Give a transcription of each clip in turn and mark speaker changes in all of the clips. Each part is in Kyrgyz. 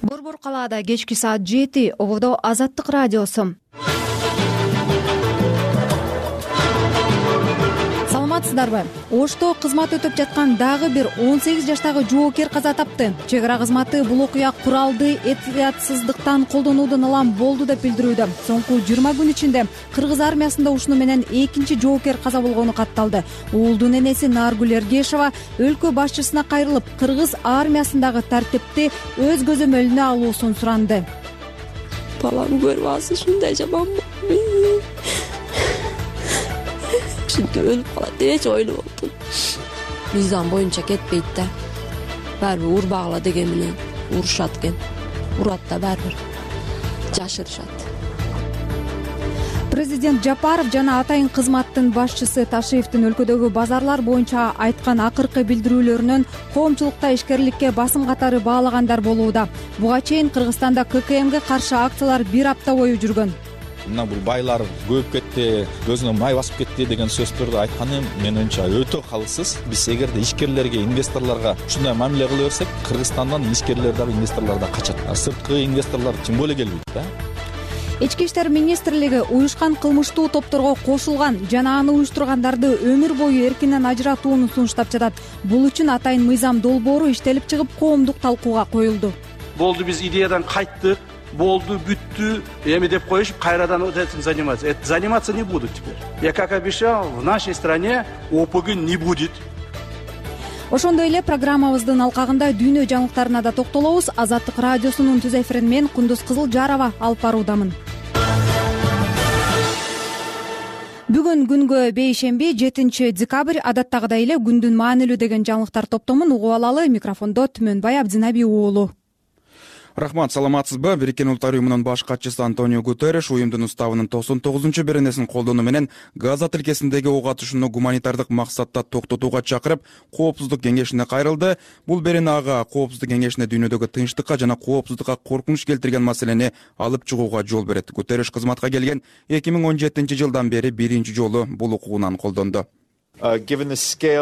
Speaker 1: Борбор калаада кечки саат 7 ободо Азаттык радиосу. Саламатсыздарбы? Ошто кызмат өтөп жаткан дагы бир 18 жаштагы жоокер каза тапты. Чек ара кызматы бул окуя куралды этиятсыздыктан колдонуудун ылам болду деп билдирүүдө. Соңку 20 күн ичинде Кыргыз армиясында ушуну менен экинчи жоокер каза болгону катталды. Уулдун энеси Наргүл Эргешова өлкө башчысына кайрылып, Кыргыз армиясындагы тартипти өз көзөмөлүнө алуусун суранды.
Speaker 2: Балам көрүп алса ушундай жаман болду. Şimdi өлүп калат деп эч ойлоп болдум. Мыйзам боюнча кетпейт да. Баары урбагыла деген менен урушат экен. Урат да баары жашырышат.
Speaker 1: Президент Жапаров жана атайын кызматтын башчысы Ташиевдин өлкөдөгү базарлар боюнча айткан акыркы билдирүүлөрүнөн коомчулукта ишкерликке басым катары баалагандар болууда. Буга чейин Кыргызстанда ККМге каршы акциялар бир апта бою жүргөн.
Speaker 3: Мына бул байлар көбөйүп кетти, көзүнө май басып кетти деген сөздөрдү айтканы менимче өтө калыссыз. Биз эгерде ишкерлерге, инвесторлорго ушундай мамиле кыла берсек, Кыргызстандан ишкерлер дагы, инвесторлор да качат. Сырткы инвесторлор тем более келбейт да.
Speaker 1: Ички иштер министрлиги уюшкан кылмыштуу топторго кошулган жана аны уюштургандарды өмүр бою эркинен ажыратууну сунуштап жатат. Бул үчүн атайын мыйзам долбоору иштелип чыгып, коомдук талкууга коюлду.
Speaker 4: Болду, биз идеядан кайттык. Болду, бүттү, эми деп коюшуп, кайрадан вот этим заниматься. Это заниматься не будут теперь. Я как обещал, в нашей стране ОПГ не будет.
Speaker 1: Ошондой эле программабыздын алкагында дүйнө жаңылыктарына да токтолобуз. Азаттык радиосунун түз эфирин мен Кундуз Кызылжарова алып баруудамын. Бүгүн күнгө бейшемби 7 декабрь, адаттагыдай эле күндүн маанилүү деген жаңылыктар топтомун угуп алалы. Микрофондо Түмөнбай Абдинаби уулу.
Speaker 5: Рахмат, саламатсызбы? Бириккен Улуттар уюмунун баш катчысы Антонио Гутерриш уюмдун уставынын 99-беренесин колдонуу менен Газа тилкесиндеги ок атышууну гуманитардык максатта токтотууга чакырып, Коопсуздук кеңешине кайрылды. Бул берене ага Коопсуздук кеңешине дүйнөдөгү тынчтыкка жана коопсуздукка коркунуч келтирген маселени алып чыгууга жол берет. Гутерриш кызматка келген 2017-жылдан бери биринчи жолу бул укугунан колдонду. Кыска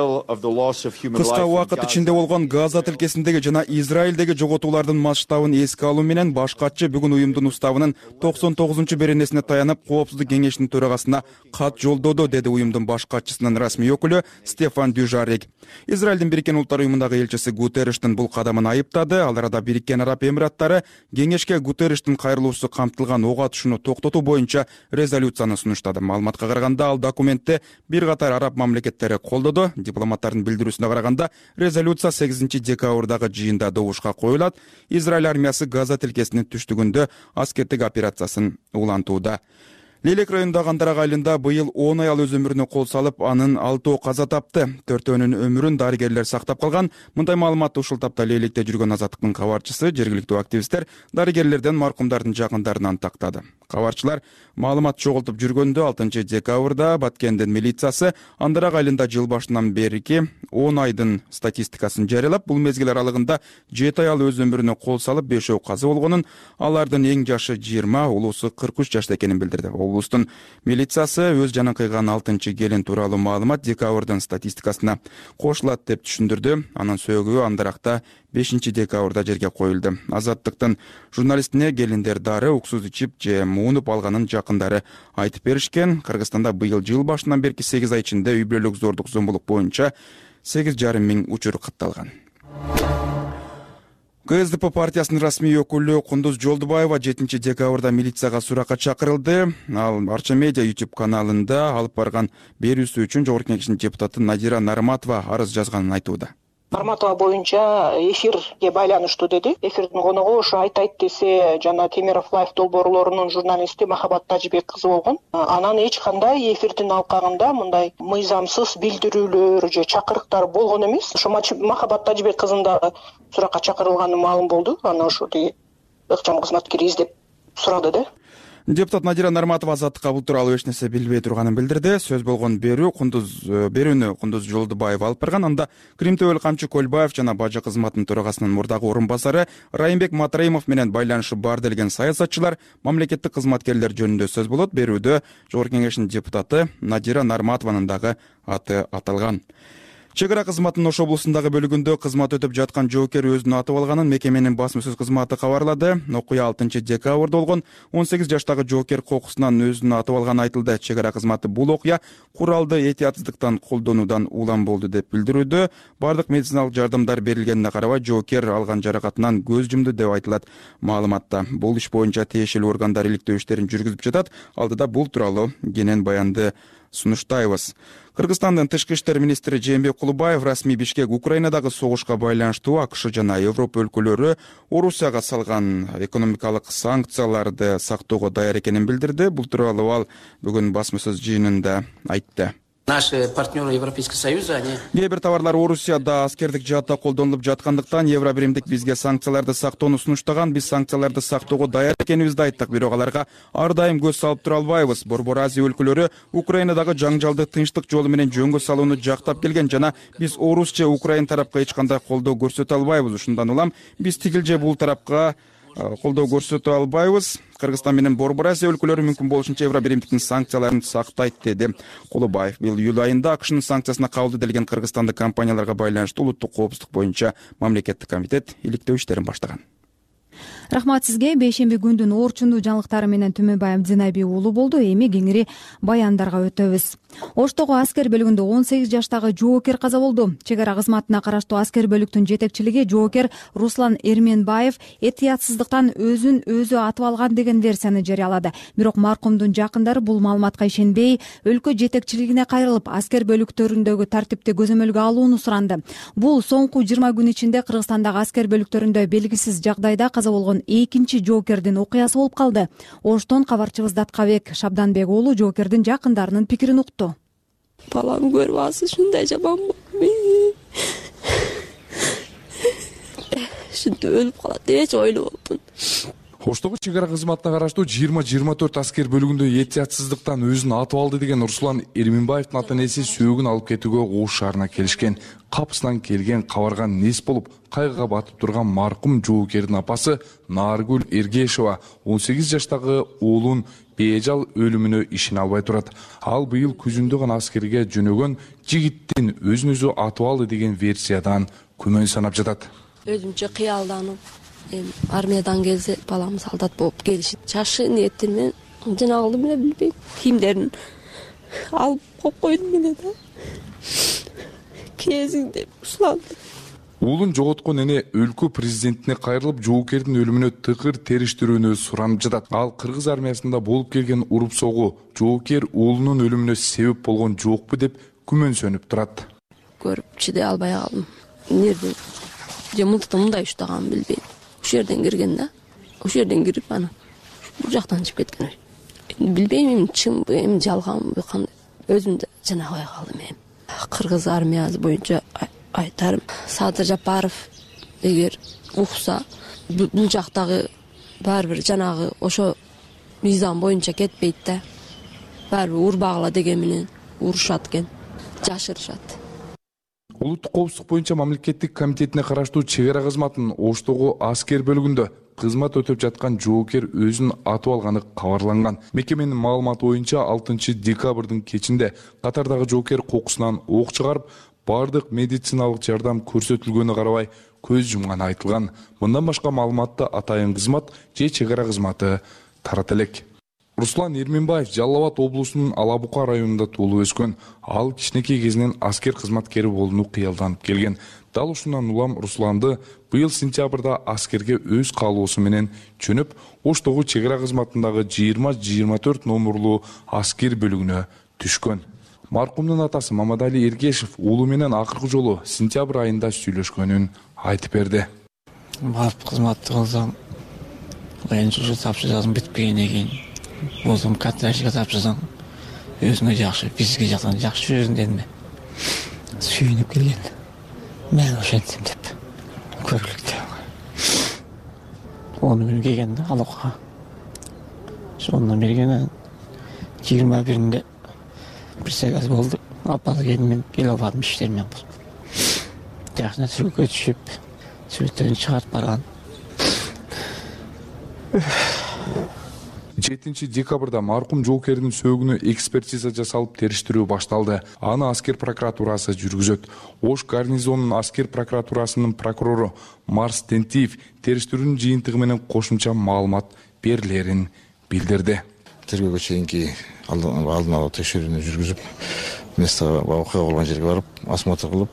Speaker 5: убакыт ичинде болгон Газа тилкесиндеги жана Израилдеги жоготуулардын масштабын эске алуу менен баш катчы бүгүн уюмдун уставынын 99-беренесине таянып, Коопсуздук кеңешинин төрагасына кат жолдоду, деди уюмдун баш катчысынын расмий өкүлү Стефан Дюжарик. Израилдин Бириккен Улуттар уюмундагы элчиси Гутерриштин бул кадамын айыптады. Ал арада Бириккен Араб Эмираттары кеңешке Гутерриштин кайрылуусу камтылган ок атышууну токтотуу боюнча резолюцияны сунуштады. Маалыматка караганда, ал документти бир катар араб мамлекеттери колдоду. Дипломаттардын билдирүүсүнө караганда, резолюция 8 декабрдагы жыйында добушка коюлат. Израиль армиясы Газа тилкесинин түштүгүндө аскердик операциясын улантууда. Лелек районундагы Андарак айылында быйыл 10 аял өз өмүрүнө кол салып, анын 6 каза тапты. 4-өөнүн өмүрүн дарыгерлер сактап калган. Мындай маалыматты ушул тапта Лелекте жүргөн Азаттыктын кабарчысы, жергиликтүү активисттер дарыгерлерден маркумдардын жакындарынан тактады. Кабарчылар маалымат чогултуп жүргөндө 6 декабрда Баткендин милициясы Андарак айылында жыл башынан берки 10 айдын статистикасын жарыялап, бул мезгил аралыгында 7 аял өз өмүрүнө кол салып, 5 каза болгонун, алардын эң жашы 20, улуусу 43 жашта экенин билдирди. Облустун милициясы өз жанын кыйган 6 келин тууралуу маалымат декабрдын статистикасына кошулат деп түшүндүрдү. Анын сөөгү Андаракта 5 декабрда жерге коюлду. Азаттыктын журналистине келиндер дары, уксус ичип же муунуп алганын жакындары айтып беришкен. Кыргызстанда быйыл жыл башынан берки 8 ай ичинде үй бүлөлүк зордук зомбулук боюнча 8,5 миң учур катталган. КСДП партиясынын расмий өкүлү Кундуз Жолдубаева 7 декабрда милицияга суракка чакырылды. Ал Арча Медиа YouTube каналында алып барган берүүсү үчүн Жогорку Кеңештин депутаты Надира Нарматова арыз жазганын айтууда.
Speaker 6: Нарматова боюнча эфирге байланыштуу деди. Эфирдин коногу ошо айтайт десе, жана Темиров Лайф долбоорлорунун журналисти Махабат Тажибек кызы болгон. Анан эч кандай эфирдин алкагында мындай мыйзамсыз билдирүүлөр же чакырыктар болгон эмес. Ошо Махабат Тажибек кызын да суракка чакырылганы маалым болду. Аны ошо ыкчам кызматкер издеп сурады да.
Speaker 5: Депутат Надира Нарматова Азаттыкка бул тууралуу эч нерсе билбей турганын билдирди. Сөз болгон берүүнү Кундуз Жолдубаева алып барган. Анда Крим Төбөл Камчы Көлбаев жана бажы кызматынын төрагасынын мурдагы орун басары Райымбек Матраимов менен байланышы бар делген саясатчылар, мамлекеттик кызматкерлер жөнүндө сөз болот. Берүүдө Жогорку Кеңештин депутаты Надира Нарматованын дагы аты аталган. Чек ара кызматынын Ош облусундагы бөлүгүндө кызмат өтөп жаткан жоокер өзүн атып алганын мекеменин басма сөз кызматы кабарлады. Окуя 6-декабрда болгон. 18 жаштагы жоокер кокусунан өзүн атып алганы айтылды. Чек ара кызматы бул окуя куралды этиятсыздыктан колдонуудан улам болду деп билдирүүдө. Бардык медициналык жардамдар берилгенине карабай жоокер алган жаракатынан көз жумду деп айтылат маалыматта. Бул иш боюнча тиешелүү органдар иликтөө иштерин жүргүзүп жатат. Алдыда бул тууралуу кенен баянды сунуштайбыз. Кыргызстандын тышкы иштер министри Жээнбек Кулубаев расмий Бишкек Украинадагы согушка байланыштуу АКШ жана Европа өлкөлөрү Орусияга салган экономикалык санкцияларды сактоого даяр экенин билдирди. Бул тууралуу ал бүгүн басма сөз жыйынында айтты.
Speaker 7: Наши партнеры Европейского Союза, они...
Speaker 5: Кээ бир товарлар Орусияда аскердик жаатта колдонулуп жаткандыктан Евробиримдик бизге санкцияларды сактоону сунуштаган. Биз санкцияларды сактоого даяр экенибизди айттык, бирок аларга ар дайым көз салып тура албайбыз. Борбор Азия өлкөлөрү Украинадагы жаңжалды тынчтык жолу менен жөнгө салууну жактап келген жана биз Орус же Украин тарапка эч кандай колдоо көрсөтө албайбыз. Ушундан улам биз тигил же бул тарапка колдоо көрсөтө албайбыз. Кыргызстан менен Борбор Азия өлкөлөрү мүмкүн болушунча Евробиримдиктин санкцияларын сактайт, деди Кулубаев. Быйыл июль айында АКШнын санкциясына кабыл делген кыргызстандык компанияларга байланыштуу улуттук коопсуздук боюнча мамлекеттик комитет иликтөө иштерин баштаган.
Speaker 1: Рахмат сизге. Бейшемби күндүн орчундуу жаңылыктары менен Түмөнбай Абдинаби уулу болду. Эми кеңири баяндарга өтөбүз. Оштогу аскер бөлүгүндө 18 жаштагы жоокер каза болду. Чек ара кызматына караштуу аскер бөлүктүн жетекчилиги жоокер Руслан Эрменбаев этиятсыздыктан өзүн өзү атып алган деген версияны жарыялады. Бирок маркумдун жакындары бул маалыматка ишенбей, өлкө жетекчилигине кайрылып, аскер бөлүктөрүндөгү тартипти көзөмөлгө алууну суранды. Бул соңку 20 күн ичинде Кыргызстандагы аскер бөлүктөрүндө белгисиз жагдайда каза болгон экинчи жоокердин окуясы болуп калды. Оштон кабарчыбыз Даткабек Шабданбек уулу жоокердин жакындарынын пикирин укту.
Speaker 2: Балам көрүп алсыз, ушундай жаман ушинтип өлүп калат деп эч ойлобоптун.
Speaker 8: Оштогу чек ара кызматына караштуу 20-24 аскер бөлүгүндө этиятсыздыктан өзүн атып алды деген Руслан Эрменбаевдин ата-энеси сөөгүн алып кетүүгө Ош шаарына келишкен. Капысынан келген кабарган нес болуп, кайгыга батып турган маркум жоокердин апасы Наргүл Эргешова 18 жаштагы уулун бежал өлүмүнө ишене албай турат. Ал быйыл күзүндө гана аскерге жөнөгөн жигиттин өзүн өзү атып алды деген версиядан күмөн санап жатат.
Speaker 2: Өзүмчө кыялданып, армиядан келсе балам солдат болуп келишит. Чашы ниетимен жанагылды менен билбейм. Кийимдерин алып коюп койдум эле да. Кезиң деп ушуланды.
Speaker 8: Уулун жоготкон эне өлкө президентине кайрылып, жоокердин өлүмүнө тыкыр териштирүүнү суранып жатат. Ал кыргыз армиясында болуп келген уруп согуу жоокер уулунун өлүмүнө себеп болгон жокпу деп күмөнсөнүп турат.
Speaker 2: Көрүп чыдай албай калдым. Нерден же мындай уштаганын билбейм. Ушул жерден кирген да. Ушул жерден кирип ана бул жактан чыгып кеткен. Билбейм, чынбы, жалганбы, кандай. Өзүм да жанабай калдым эми. Кыргыз армиясы боюнча айтарым, Садыр Жапаров эгер укса, бул жактагы баары бир жанагы ошо мыйзам боюнча кетпейт да. Баары бир урбагыла деген менен урушат экен, жашырышат.
Speaker 8: Улуттук коопсуздук боюнча мамлекеттик комитетине караштуу чек ара кызматынын Оштогу аскер бөлүгүндө кызмат өтөп жаткан жоокер өзүн атып алганы кабарланган. Мекеменин маалыматы боюнча 6-декабрдын кечинде катардагы жоокер кокусунан ок чыгарып, бардык медициналык жардам көрсөтүлгөнү карабай көз жумганы айтылган. Мындан башка маалыматты атайын кызмат же чек ара кызматы тарата элек. Руслан Эрменбаев Жалал Абад облусунун Алабука районунда туулуп өскөн. Ал кичинекей кезинен аскер кызматкери болууну кыялданып келген. Дал ушундан улам Русланды быйыл сентябрда аскерге өз каалоосу менен жөнөп, Оштогу чек ара кызматындагы 20-24 номерлуу аскер бөлүгүнө түшкөн. Маркумдун атасы Мамадали Эргешев уулу менен акыркы жолу сентябрь айында сүйлөшкөнүн айтып берди.
Speaker 9: Барып кызматты кылсам, ушу тапшырыгым бүтпөгөндөн кийин болсом катташыга тапшырсаң, өзүңө жакшы, бизге жактан жакшы жүрөсүң дедим. Сүйүнүп келген. Мен ошентсем деп көрүлүктү. Onu менен келген да Алакка. Сонун берген 21-inde bir segaz болду. Апалы келмен келе албадым иштермен болуп. Жакшына сүргө түшүп, сүрөттөрүн чыгарып барган.
Speaker 8: 7 декабрда маркум жоокердин сөөгүнө экспертиза жасалып териштирүү башталды. Аны аскер прокуратурасы жүргүзөт. Ош гарнизонунун аскер прокуратурасынын прокурору Марс Тентиев териштирүүнүн жыйынтыгы менен кошумча маалымат берилерин билдирди.
Speaker 10: Тергөөгө чейинки алдын ала текшерүүнү жүргүзүп, место окуя болгон жерге барып, осмотр кылып,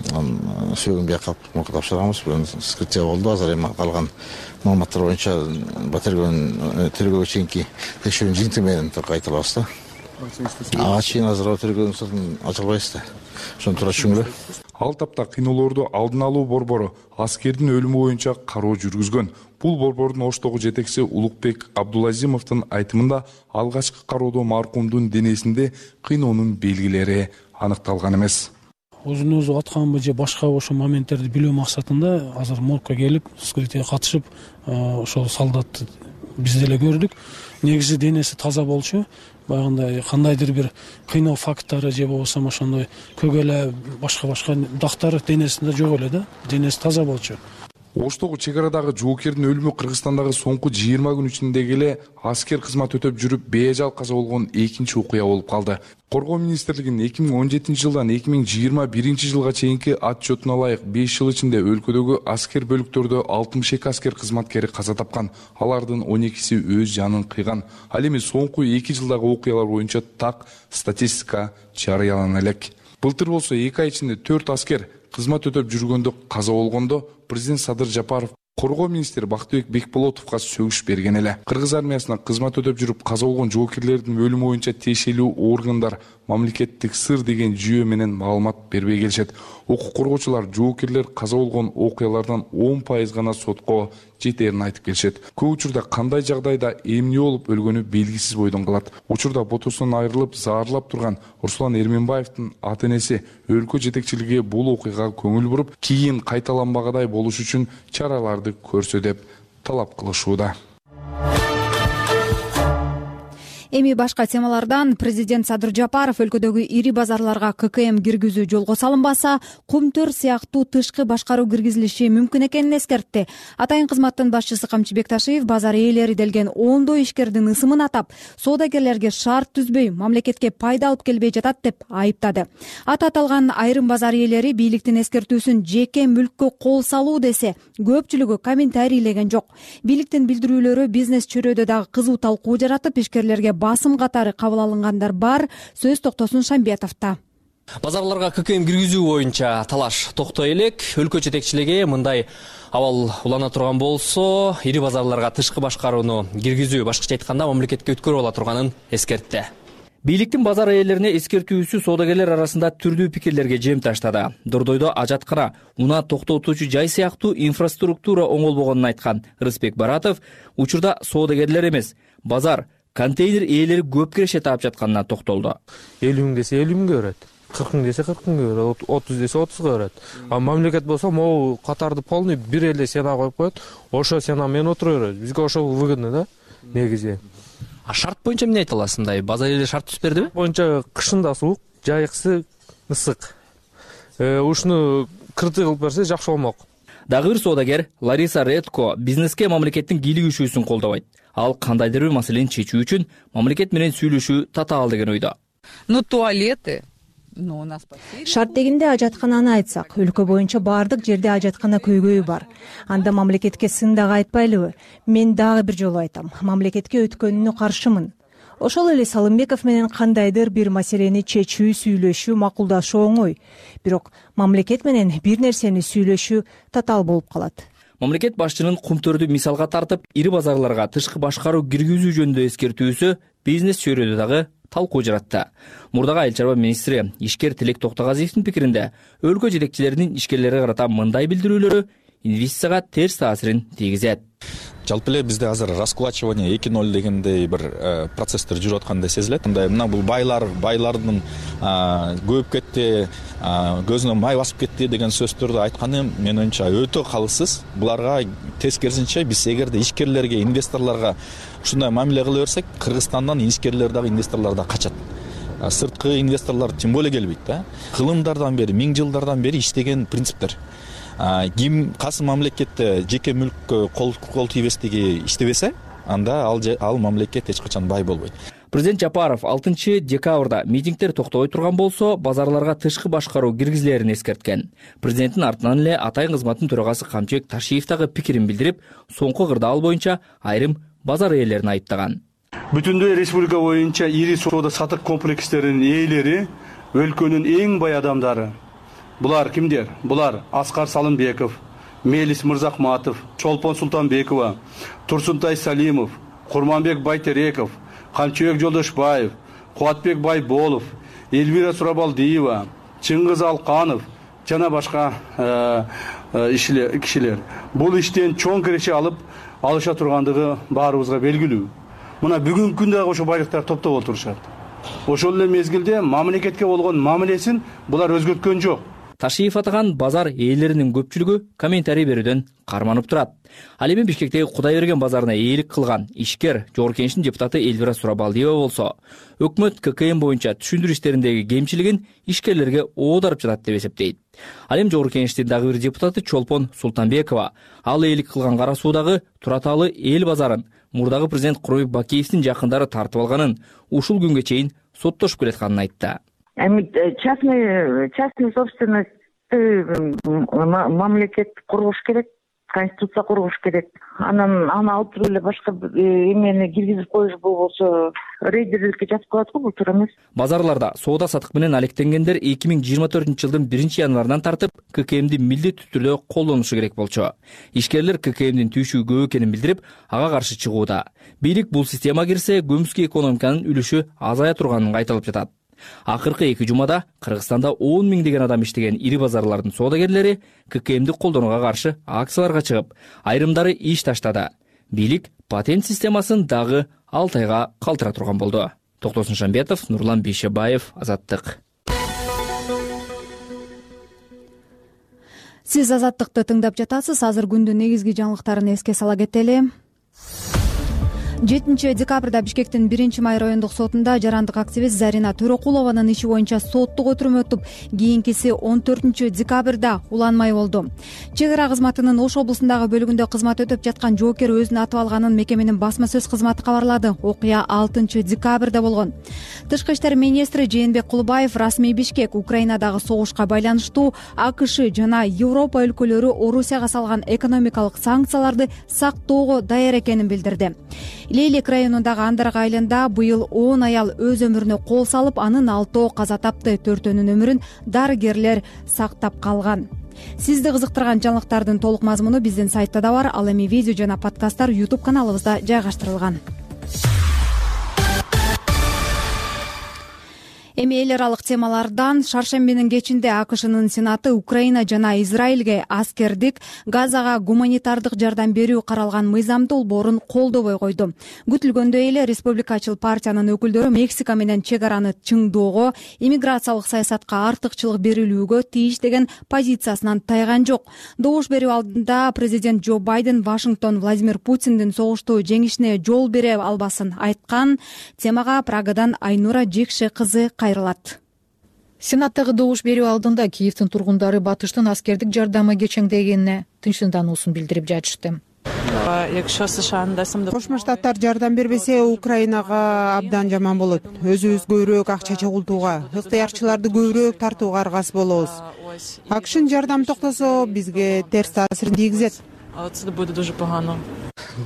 Speaker 10: сөөгүн бияка алып тапшырганбыз. Вскрытие болду. Азыр эми калган маалыматтар боюнча тергөөгө чейинки текшерүүнүн жыйынтыгы менен кайталабыз да. Ага чейин азыр тергөөнүн сыртын ачылбайбыз да. Ошону туура түшүнгүлө.
Speaker 8: Ал тапта кыйноолорду алдын алуу борбору аскердин өлүмү боюнча кароо жүргүзгөн. Бул борбордун Оштогу жетекчиси Улукбек Абдулазимовдун айтымында алгачкы кароодо маркумдун денесинде кыйноонун белгилери аныкталган эмес.
Speaker 11: Өзүн өзү атканбы же башка ошо моменттерди билүү максатында азыр моргко келип, вскрытие катышып, ошол солдатты биз деле көрдүк. Негизи денеси таза болчу. Баягындай кандайдыр бир кыйноо факттары же болбосо ошондой көгөлө башка дактар денесинде жок эле да. Денеси таза болчу.
Speaker 8: Оштогу чек арадагы жоокердин өлүмү Кыргызстандагы соңку 20 күн ичинде эле аскер кызмат өтөп жүрүп бейажал каза болгон экинчи окуя болуп калды. Коргоо министрлигинин 2017 жылдан 2021 жылга чейинки отчетуна ылайык 5 жыл ичинде өлкөдөгү аскер бөлүктөрдө 62 аскер кызматкери каза тапкан. Алардын 12си өз жанын кыйган. Ал эми соңку 2 жылдагы окуялар боюнча так статистика жарыялана элек. Былтыр болсо 2 ай ичинде 4 аскер кызмат өтөп жүргөндө каза болгондо президент Садыр Жапаров коргоо министри Бактыбек Бекболотовго сөгүш берген эле. Кыргыз армиясына кызмат өтөп жүрүп каза болгон жоокерлердин өлүмү боюнча тиешелүү органдар мамлекеттик сыр деген жүйө менен маалымат бербей келишет. Укук коргоочулар жоокерлер каза болгон окуялардан 10% гана сотко жетерин айтып келишет. Көп учурда кандай жагдайда эмне болуп өлгөнү белгисиз бойдон калат. Учурда ботосунан айрылып, заарлап турган Руслан Эрменбаевдин ата-энеси өлкө жетекчилиги бул окуяга көңүл буруп, кийин кайталанбагандай болуш үчүн чараларды көрсө деп талап кылышууда.
Speaker 1: Эми башка темалардан президент Садыр Жапаров өлкөдөгү ири базарларга ККМ киргизүү жолго салынбаса, кумтөр сыяктуу тышкы башкаруу киргизилиши мүмкүн экенин эскертти. Атайын кызматтын башчысы Камчы Бекташиев базар ээлери делген ондой ишкердин ысымын атап, соодагерлерге шарт түзбөй, мамлекетке пайда алып келбей жатат деп айыптады. Аты аталган айрым базар ээлери бийликтин эскертүүсүн жеке мүлккө кол салуу десе, көпчүлүгү комментарийлеген жок. Бийликтин билдирүүлөрү бизнес чөйрөдө дагы кызуу талкуу жаратып, ишкерлерге басым катары кабыл алынгандар бар. Сөз Токтосун Шамбетовдо.
Speaker 12: Базарларга ККМ киргизүү боюнча талаш токтой элек. Өлкө жетекчилиги мындай абал улана турган болсо, ири базарларга тышкы башкарууну киргизүү башкача айтканда мамлекетке өткөрүп ала турганын эскертти. Бийликтин базар ээлерине эскертүүсү соодагерлер арасында түрдүү пикирлерге жем таштады. Дордойдо ажаткана, унаа токтотуучу жай сыяктуу инфраструктура оңолбогонун айткан Рыспек Баратов, учурда соодагерлер эмес, базар, контейнер ээлери көп киреше таап жатканына токтолду.
Speaker 13: 50 миң десе 50 миңге берет, 40 миң десе 40 миңге берет, 30 десе 30га берет. А мамлекет болсо могу катарды полный бир эле сена коюп коет, ошо сена менен отура берет. Бизге ошо выгодно да, негизи.
Speaker 12: А шарт боюнча эмне айта аласындай? Базар ээлери шарт түзүп бердиби?
Speaker 13: Боюнча кышында суук, жайкысы ысык. Ушуну кыртый кылып берсе жакшы болмок.
Speaker 12: Дагы бир соодагер Лариса Редко бизнеске мамлекеттин кийлигишүүсүн колдобойт. Ал кандайдыр бир маселени чечүү үчүн мамлекет менен сүйлөшүү татаал деген ойдо.
Speaker 14: Туалеты шарт дегенде ажаткананы айтсак, өлкө боюнча баардык жерде ажаткана көйгөйү бар. Анда мамлекетке сын дагы айтпайлыбы? Мен дагы бир жолу айтам, мамлекетке өткөнүнө каршымын. Ошол эле Салымбеков менен кандайдыр бир маселени чечүү, сүйлөшүү, макулдашуу оңой. Бирок мамлекет менен бир нерсени сүйлөшүү татаал болуп калат.
Speaker 12: Мамлекет башчынын кумтөрдү мисалга тартып, ири базарларга тышкы башкаруу киргизүү жөнүндө эскертүүсү бизнес чөйрөдө дагы талкуу жаратты. Мурдагы айыл чарба министри ишкер Тилек Токтогазиевдин пикиринде, өлкө жетекчилеринин ишкерлерге карата мындай билдирүүлөрү инвестицияга терс таасирин тийгизет.
Speaker 3: Жалпы эле бизде азыр раскулачивание 2.0 дегендей бир процесстер жүрүп аткандай сезилет. Мына бул байлардын көбүп кетти, көзүнө май басып кетти деген сөздөрдү айтканы менин оюмча өтө калыссыз. Буларга тескерисинче биз эгерде ишкерлерге, инвесторлорго ушундай мамиле кыла берсек, Кыргызстандан ишкерлер дагы, инвесторлор дагы качат. Сырткы инвесторлор тем более келбейт да. Кылымдардан бери, миң жылдардан бери иштеген принциптер. Ким кайсы мамлекетте жеке мүлккө кол тийбестиги иштебесе, анда ал мамлекет эч качан бай болбойт.
Speaker 12: Президент Жапаров 6 декабрда митингдер токтобой турган болсо, базарларга тышкы башкаруу киргизилерин эскерткен. Президенттин артынан эле атайын кызматтын төрагасы Камчыбек Ташиев дагы пикирин билдирип, соңку кырдаал боюнча айрым базар ээлерин айыптаган.
Speaker 4: Бүтүндөй республика боюнча ири соода сатык комплекстеринин ээлери өлкөнүн эң бай адамдары. Булар кимдер? Булар Аскар Салымбеков, Мелис Мырзахматов, Чолпон Султанбекова, Турсунтай Салимов, Курманбек Байтереков, Камчыбек Жолдошбаев, Кубатбек Байболов, Элвира Сурабалдиева, Чыңгыз Алканов жана башка кишилер. Бул иштен чоң киреше алыша тургандыгы баарыбызга белгилүү. Мына бүгүнкү күндө ошо байлыктар топтоп отурушат. Ошол эле мезгилде мамлекетке болгон мамилесин булар өзгөрткөн жок.
Speaker 12: Ташиев атаган базар ээлеринин көпчүлүгү комментарий берүүдөн карманып турат. Ал эми Бишкектеги Кудайберген базарына ээлик кылган ишкер Жогорку Кеңештин депутаты Элвира Сурабалдиева болсо, өкмөт ККМ боюнча түшүндүрүү иштериндеги кемчилигин ишкерлерге оодарып жатат деп эсептейт. Ал эми Жогорку Кеңештин дагы бир депутаты Чолпон Султанбекова ал ээлик кылган Кара Суудагы Тураталы эл базарын мурдагы президент Курманбек Бакиевдин жакындары тартып алганын, ушул күнгө чейин соттошуп келатканын айтты.
Speaker 15: Частный собственность мамлекет кургуш керек, конституция кургуш керек. Аны алып туруп эле башка эмени киргизип коюш болбосо рейдерликке жатып калат го, бул туура эмес.
Speaker 12: Базарларда соода сатык менен алектенгендер 2024-жылдын 1-январынан тартып ККМди милдеттүү түрдө колдонушу керек болчу. Ишкерлер ККМдин түйшүгү көп экенин билдирип, ага каршы чыгууда. Бийлик бул система кирсе, көмүскө экономиканын үлүшү азая турганын айтылып жатат. Акыркы 2 жумада Кыргызстанда 10 миңдеген адам иштеген ири базарлардын соодагерлери ККМди колдонууга каршы акцияларга чыгып, айрымдары иш таштады. Бийлик патент системасын дагы 6 айга калтыра турган болду. Токтосун Шамбетов, Нурлан Бейшебаев, Азаттык.
Speaker 1: Сиз Азаттыкты тыңдап жатасыз. Азыр күндүн негизги жаңылыктарын эске сала кетели. 7 декабрда Бишкектин 1-Май райондук сотунда жарандык активист Зарина Төрөкулованын иши боюнча соттук отурум өтүп, кийинкиси 14 декабрда уланмай болду. Чек ара кызматынын Ош облусундагы бөлүгүндө кызмат өтөп жаткан жоокер өзүн атып алганын мекеменин басма сөз кызматы кабарлады. Окуя 6 декабрда болгон. Тышкы иштер министри Жээнбек Кулубаев расмий Бишкек Украинадагы согушка байланыштуу АКШ жана Европа өлкөлөрү Орусияга салган экономикалык санкцияларды сактоого даяр экенин билдирди. Лейлек районундагы Андарак айылында быйыл 10 аял өз өмүрүнө кол салып, анын 6 каза тапты. 4-өнүн өмүрүн дарыгерлер сактап калган. Сизди кызыктырган жаңылыктардын толук мазмуну биздин сайтта да бар. Ал эми видео жана подкасттар YouTube каналыбызда жайгаштырылган. Эми эл аралык темалардан шаршембинин кечинде АКШнын Сенаты Украина жана Израилге аскердик, Газага гуманитардык жардам берүү каралган мыйзам долбоорун колдобой койду. Күтүлгөндөй эле Республикачыл партиянын өкүлдөрү Мексика менен чек араны чыңдоого, иммиграциялык саясатка артыкчылык берилүүгө тийиш деген позициясынан тайган жок. Добуш берүү алдында президент Джо Байден Вашингтон Владимир Путиндин согушту жеңишине жол бере албасын айткан. Темага Прагадан Айнура Жекше кызы кайрылат.
Speaker 16: Сенаттагы добуш берүү алдында Киевдин тургундары батыштын аскердик жардамы кечеңдегенине тынчсыздануусун билдирип жатышты.
Speaker 17: Кошмо Штаттар жардам бербесе, Украинага абдан жаман болот. Өзүбүз көбүрөөк акча чогултууга, ыктыярчыларды көбүрөөк тартууга аргасыз болобуз. АКШнын жардамы токтосо, бизге терс таасирин тийгизет.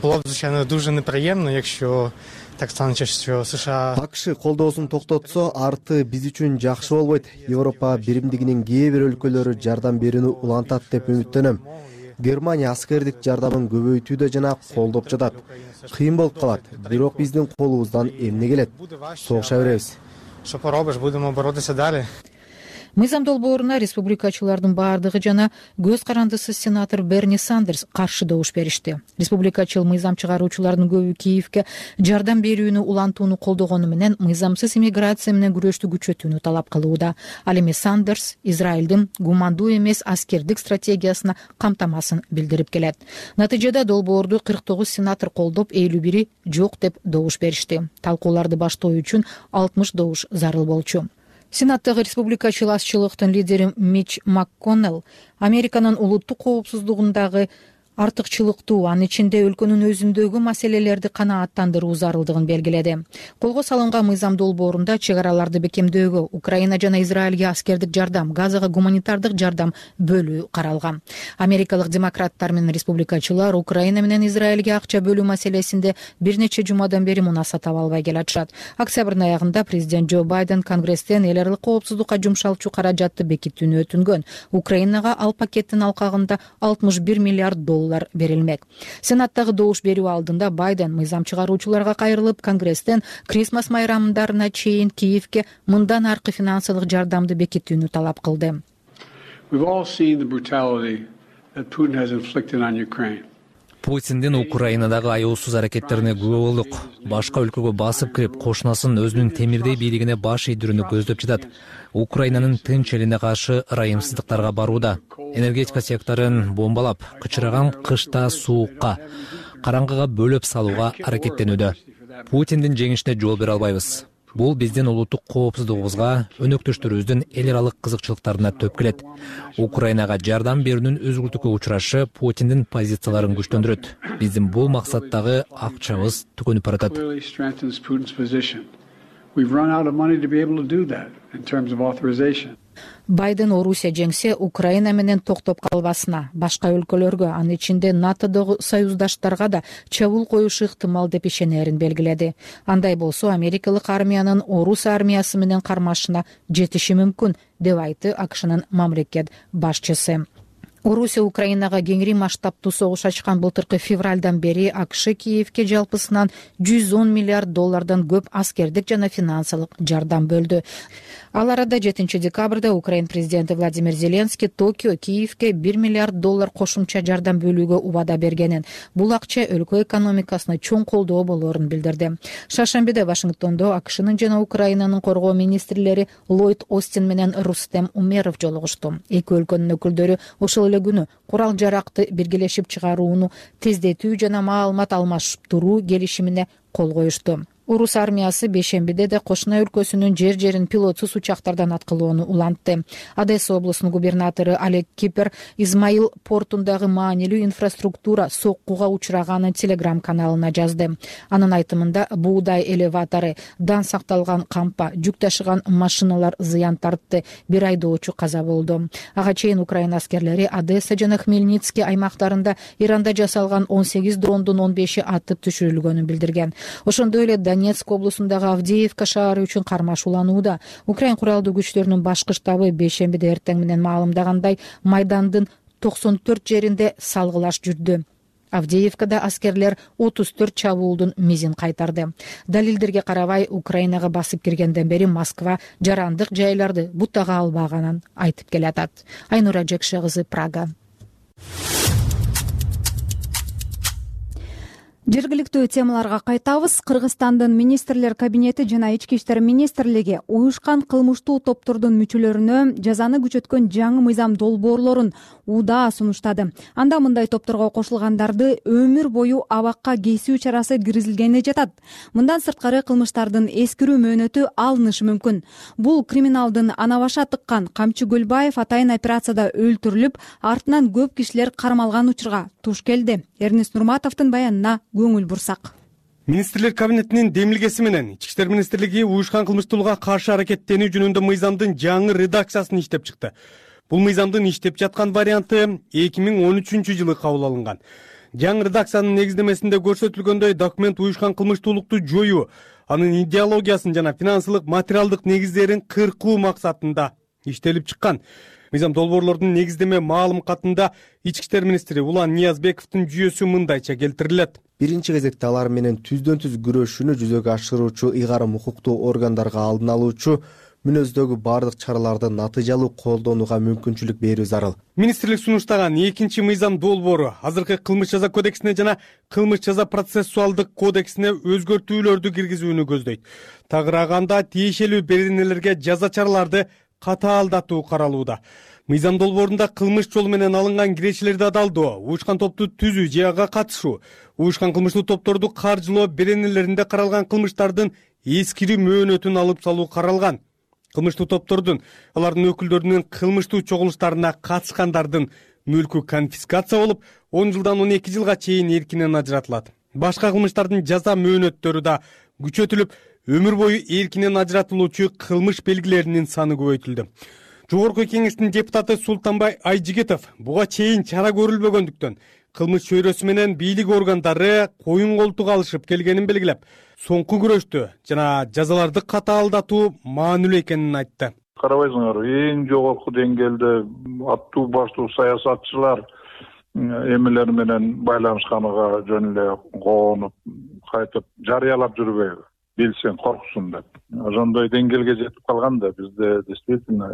Speaker 18: Було б, звичайно, дуже неприємно, якщо так станеться, що США
Speaker 19: АКШ колдоосун токтотсо, арты биз үчүн жакшы болбойт. Европа биримдигинин кээ бир өлкөлөрү жардам берүүнү улантат деп үмүттөнөм. Германия аскердик жардамын көбөйтүүдө жана колдоп жатат. Кыйын болуп калат, бирок биздин колубуздан эмне келет? Согуша беребиз.
Speaker 18: Що поробиш, будемо боротися далі.
Speaker 16: Мыйзам долбооруна республикачылардын баардыгы жана көз карандысыз сенатор Берни Сандерс каршы добуш беришти. Республикачыл мыйзам чыгаруучулардын көбү Киевге жардам берүүнү улантууну колдогону менен мыйзамсыз иммиграция менен күрөштү күчөтүүнү талап кылууда. Ал эми Сандерс Израилдин гумандуу эмес аскердик стратегиясына камтамасын билдирип келет. Натыйжада долбоорду 49 сенатор колдоп, 51 жок деп добуш беришти. Талкууларды баштоо үчүн 60 добуш зарыл болчу. Сенаттагы республикачыл азчылыктын лидери Мич МакКоннелл Американын улуттук коопсуздугундагы артыкчылыктуу, анын ичинде өлкөнүн өзүндөгү маселелерди канааттандыруу зарылдыгын белгиледи. Колго салынган мыйзам долбоорунда чек араларды бекемдөөгө, Украина жана Израилге аскердик жардам, Газага гуманитардык жардам бөлүү каралган. Америкалык демократтар менен республикачылар Украина менен Израилге акча бөлүү маселесинде бир нече жумадан бери мунаса таба албай келатышат. Октябрдын аягында президент Джо Байден Конгресстен эл аралык коопсуздукка жумшалчу каражатты бекитүүнү өтүнгөн. Украинага ал пакеттин алкагында 61 миллиард доллар берилмек. Сенаттагы добуш берүү алдында Байден мыйзам чыгаруучуларга кайрылып, Конгресстен Крисмас майрамдарына чейин Киевке мындан аркы финансылык жардамды бекитүүнү талап кылды.
Speaker 20: Путиндин Украинадагы аяусуз аракеттерине күбө болдук. Башка өлкөгө басып кирип, кошунасын өзүнүн темирдей бийлигине баш ийдирүүнү көздөп жатат. Украинанын тынч элине каршы ырайымсыздыктарга барууда. Энергетика секторун бомбалап, кычыраган кышта суукка, караңгыга бөлөп салууга аракеттенүүдө. Путиндин жеңишине жол бере албайбыз. Бул биздин улуттук коопсуздугубузга, өнөктөштөрүбүздүн эл аралык кызыкчылыктарына төп келет. Украинага жардам берүүнүн өзгөртүүгө учурашы Путиндин позицияларын күчтөндүрөт. Биздин бул максаттагы акчабыз түгөнүп баратат.
Speaker 16: Байден Орусия жеңсе, Украина менен токтоп калбасына, башка өлкөлөргө, анын ичинде НАТОдогу союздаштарга да чабуул коюшу ыктымал деп ишенерин белгиледи. Андай болсо, америкалык армиянын Орус армиясы менен кармашына жетиши мүмкүн, деп айтты АКШнын мамлекет башчысы. Орусия Украинага кеңири масштабтуу согуш ачкан былтыркы февралдан бери АКШ Киевке жалпысынан 110 миллиард доллардан көп аскердик жана финансылык жардам бөлдү. Ал арада 7 декабрда Украин президенти Владимир Зеленский Токио Киевке 1 миллиард доллар кошумча жардам бөлүүгө убада бергенин, бул акча өлкө экономикасына чоң колдоо болоорун билдирди. Шаршембиде Вашингтондо АКШнын жана Украинанын коргоо министрлери Ллойд Остин менен Рустем Умеров жолугушту. Эки өлкөнүн өкүлдөрү ошол күнү курал жаракты биргелешип чыгарууну тездетүү жана маалымат алмаштыруу келишимине кол коюшту. Орус армиясы бейшембиде де кошуна өлкөсүнүн жер-жерин пилотсуз учактардан аткылоону улантты. Одесса облусунун губернатору Олег Кипер Измаил портундагы маанилүү инфраструктура соккуга учураганын Телеграм каналына жазды. Анын айтымында буудай элеватору, дан сакталган кампа, жүк ташыган машиналар зыян тартты, бир айдоочу каза болду. Ага чейин Украина аскерлери Одесса жана Хмельницкий аймактарында Иранда жасалган 18 дрондун 15и атып түшүрүлгөнүн билдирген. Ошондой эле Донецк облусундагы Авдеевка шаары үчүн кармаш уланууда. Украин куралдуу күчтөрүнүн башкы штабы бейшембиде эртең менен маалымдагандай, Майдандын 94 жеринде салгылаш жүрдү. Авдеевкада аскерлер 34 чабуулдун мизин кайтарды. Далилдерге карабай, Украинага басып киргенден бери Москва жарандык жайларды бутага албаганын айтып келатат. Айнура Жекше кызы, Прага.
Speaker 1: Жергиликтүү темаларга кайтабыз. Кыргызстандын министрлер кабинети жана ички иштер министрлиги уюшкан кылмыштуу топтордун мүчөлөрүнө жазаны күчөткөн жаңы мыйзам долбоорлорун УДА сунуштады. Анда мындай топторго кошулгандарды өмүр бою абакка кесүү чарасы киргизилгени жатат. Мындан сырткары кылмыштардын эскирүү мөөнөтү алынышы мүмкүн. Бул криминалдын ана баша тыккан Камчы Көлбаев атайын операцияда өлтүрүлүп, артынан көп кишилер кармалган учурга туш келди. Эрнест Нурматовдун баянына көңүл бурсак.
Speaker 21: Министрлер кабинетинин демилгеси менен Ички иштер министрлиги уюшкан кылмыштуулукка каршы аракеттенүү жөнүндө мыйзамдын жаңы редакциясын иштеп чыкты. Бул мыйзамдын иштеп жаткан варианты 2013-жылы кабыл алынган. Жаңы редакциянын негиздемесинде көрсөтүлгөндөй, документ уюшкан кылмыштуулукту жоюу, анын идеологиясын жана финансылык материалдык негиздерин кыркуу максатында иштелип чыккан. Мыйзам долбоорлордун негиздеме маалым катында Ички иштер министри Улан Ниязбековдун жүйөсү мындайча келтирилет.
Speaker 19: Биринчи кезекте алар менен түздөн-түз күрөшүүнү жүзөгө ашыруучу ыйгарым укуктуу органдарга алдын алуучу мүнөздөгү бардык чараларды натыйжалуу колдонууга мүмкүнчүлүк берүү зарыл.
Speaker 21: Министрлик сунуштаган экинчи мыйзам долбоору азыркы кылмыш жаза кодексине жана кылмыш жаза процессуалдык кодексине өзгөртүүлөрдү киргизүүнү көздөйт. Тагырааганда тиешелүү беренелерге жаза чараларды катаалдатуу каралууда. Мыйзам долбоорунда кылмыш жолу менен алынган кирешелерди адалдоо, уюшкан топту түзүү же ага катышуу, уюшкан кылмыштуу топторду каржылоо беренелеринде каралган кылмыштардын эскирүү мөөнөтүн алып салуу каралган. Кылмыштуу топтордун, алардын өкүлдөрүнүн кылмыштуу чогулуштарына катышкандардын мүлкү конфискация болуп, 10 жылдан 12 жылга чейин эркинен ажыратылат. Башка кылмыштардын жаза мөөнөттөрү да күчөтүлүп, өмүр бою эркинен ажыратылуучу кылмыш белгилеринин саны көбөйтүлдү. Жогорку Кеңештин депутаты Султанбай Айжигитов буга чейин чара көрүлбөгөндүктөн кылмыш чөйрөсү менен бийлик органдары коюн колтук алышып келгенин белгилеп, соңку күрөштү жана жазаларды катаалдатуу маанилүү экенин айтты.
Speaker 6: Карабайсыңар, эң жогорку деңгээлде аттуу баштуу саясатчылар эмелер менен байланышканыга жөн эле коонуп, кайтып жарыялап жүрбөйбү? Билсең корксун деп. Ошондой деңгээлге жетип калган да бизде действительно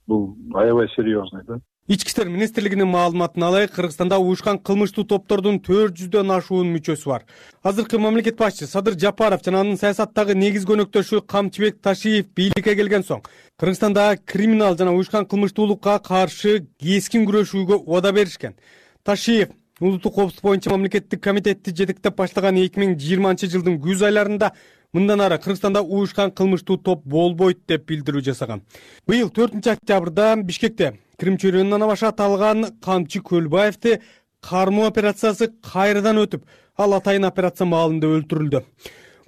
Speaker 6: бул аябай серьезный да.
Speaker 21: Ички иштер министрлигинин маалыматына алайык, Кыргызстанда уюшкан кылмыштуу топтордун 400дөн ашуун мүчөсү бар. Азыркы мамлекет башчысы Садыр Жапаров жана анын саясаттагы негизги өнөктөшү Камчыбек Ташиев бийликке келген соң Кыргызстанда криминал жана уюшкан кылмыштуулукка каршы кескин күрөшүүгө убада беришкен. Ташиев улуттук коопсуздук боюнча мамлекеттик комитетти жетектеп баштаган 2020-жылдын күз айларында мындан ары Кыргызстанда уюшкан кылмыштуу топ болбойт деп билдирүү жасаган. Быйыл 4-октябрда Бишкекте Крим чөйрөнүн ана башы аталган Камчы Көлбаевди кармоо операциясы кайрадан өтүп, ал атайын операция маалында өлтүрүлдү.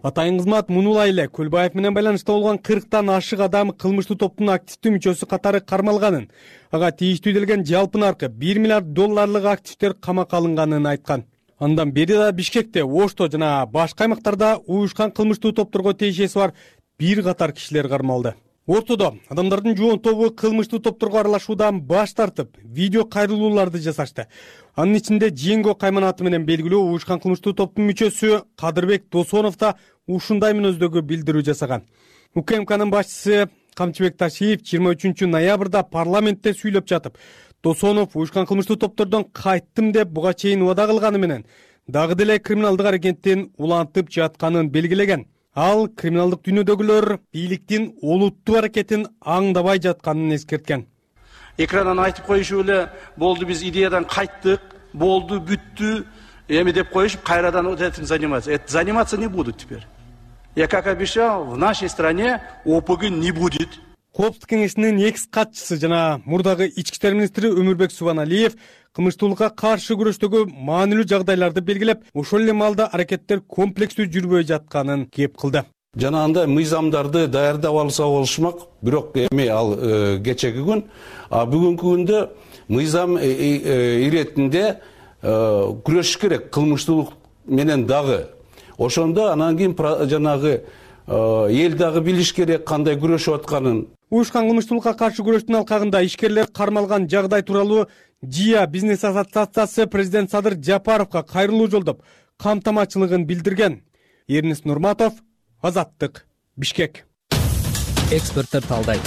Speaker 21: Атайын кызмат мунулай эле Көлбаев менен байланышта болгон 40тан ашык адам кылмыштуу топтун активдүү мүчөсү катары кармалганын, ага тийиштүү делген жалпы наркы $1 миллиард активдер камакка алынганын айткан. Андан бери да Бишкекте, Ошто жана башка аймактарда уюшкан кылмыштуу топторго тиешеси бар бир катар кишилер кармалды. Ортодо адамдардын жоон тобу кылмыштуу топторго аралашуудан баш тартып, видео кайрылууларды жасашты. Анын ичинде Жеңго Кайманаты менен белгилүү уюшкан кылмыштуу топтун мүчөсү Кадырбек Досонов да ушундай мүнөздөгү билдирүү жасаган. УКМКнын башчысы Камчыбек Ташиев 23 ноябрда парламентте сүйлөп жатып, Досонов уюшкан кылмыштуу топтордон кайттым деп буга чейин убада кылганы менен дагы деле криминалдык аракеттин улантып жатканын белгилеген. Ал криминалдык дүйнөдөгүлөр бийликтин олуттуу аракетин аңдабай жатканын эскерткен.
Speaker 4: Экрандан айтып коюшуп эле болду, биз идеядан кайттык, болду, бүттү, эми деп коюшуп, кайрадан вот этим заниматься. Это заниматься не будут теперь. Я как обещал, в нашей стране ОПГ не будет.
Speaker 21: Коопсуздук кеңешинин экс катчысы жана мурдагы ички иштер министри Өмүрбек Субаналиев кылмыштуулукка каршы күрөштөгү маанилүү жагдайларды белгилеп, ошол эле маалда аракеттер комплекстүү жүрбөй жатканын кеп кылды.
Speaker 22: Жана анда мыйзамдарды даярдап алса болушмак, бирок эми ал кечеги күн, бүгүнкү күндө мыйзам иретинде күрөшүш керек кылмыштуулук менен дагы. Ошондо анан кийин жанагы эл дагы билиш керек кандай күрөшүп атканын.
Speaker 21: Уюшкан кылмыштуулукка каршы күрөштүн алкагында ишкерлер кармалган жагдай тууралуу ЖИА бизнес ассоциациясы президент Садыр Жапаровго кайрылуу жолдоп, камтамачылыгын билдирген. Эрнис Нурматов, Азаттык, Бишкек.
Speaker 20: Эксперттер талдайт.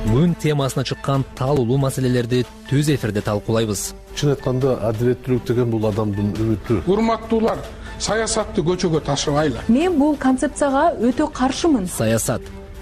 Speaker 20: Күн темасына чыккан талуулуу маселелерди түз эфирде талкуулайбыз.
Speaker 23: Чын айтканда адилеттүүлүк деген бул адамдын үмүтү.
Speaker 24: Урматтуулар, саясатты көчөгө ташыбайлы.
Speaker 25: Мен бул концепцияга өтө каршымын.
Speaker 20: Саясат,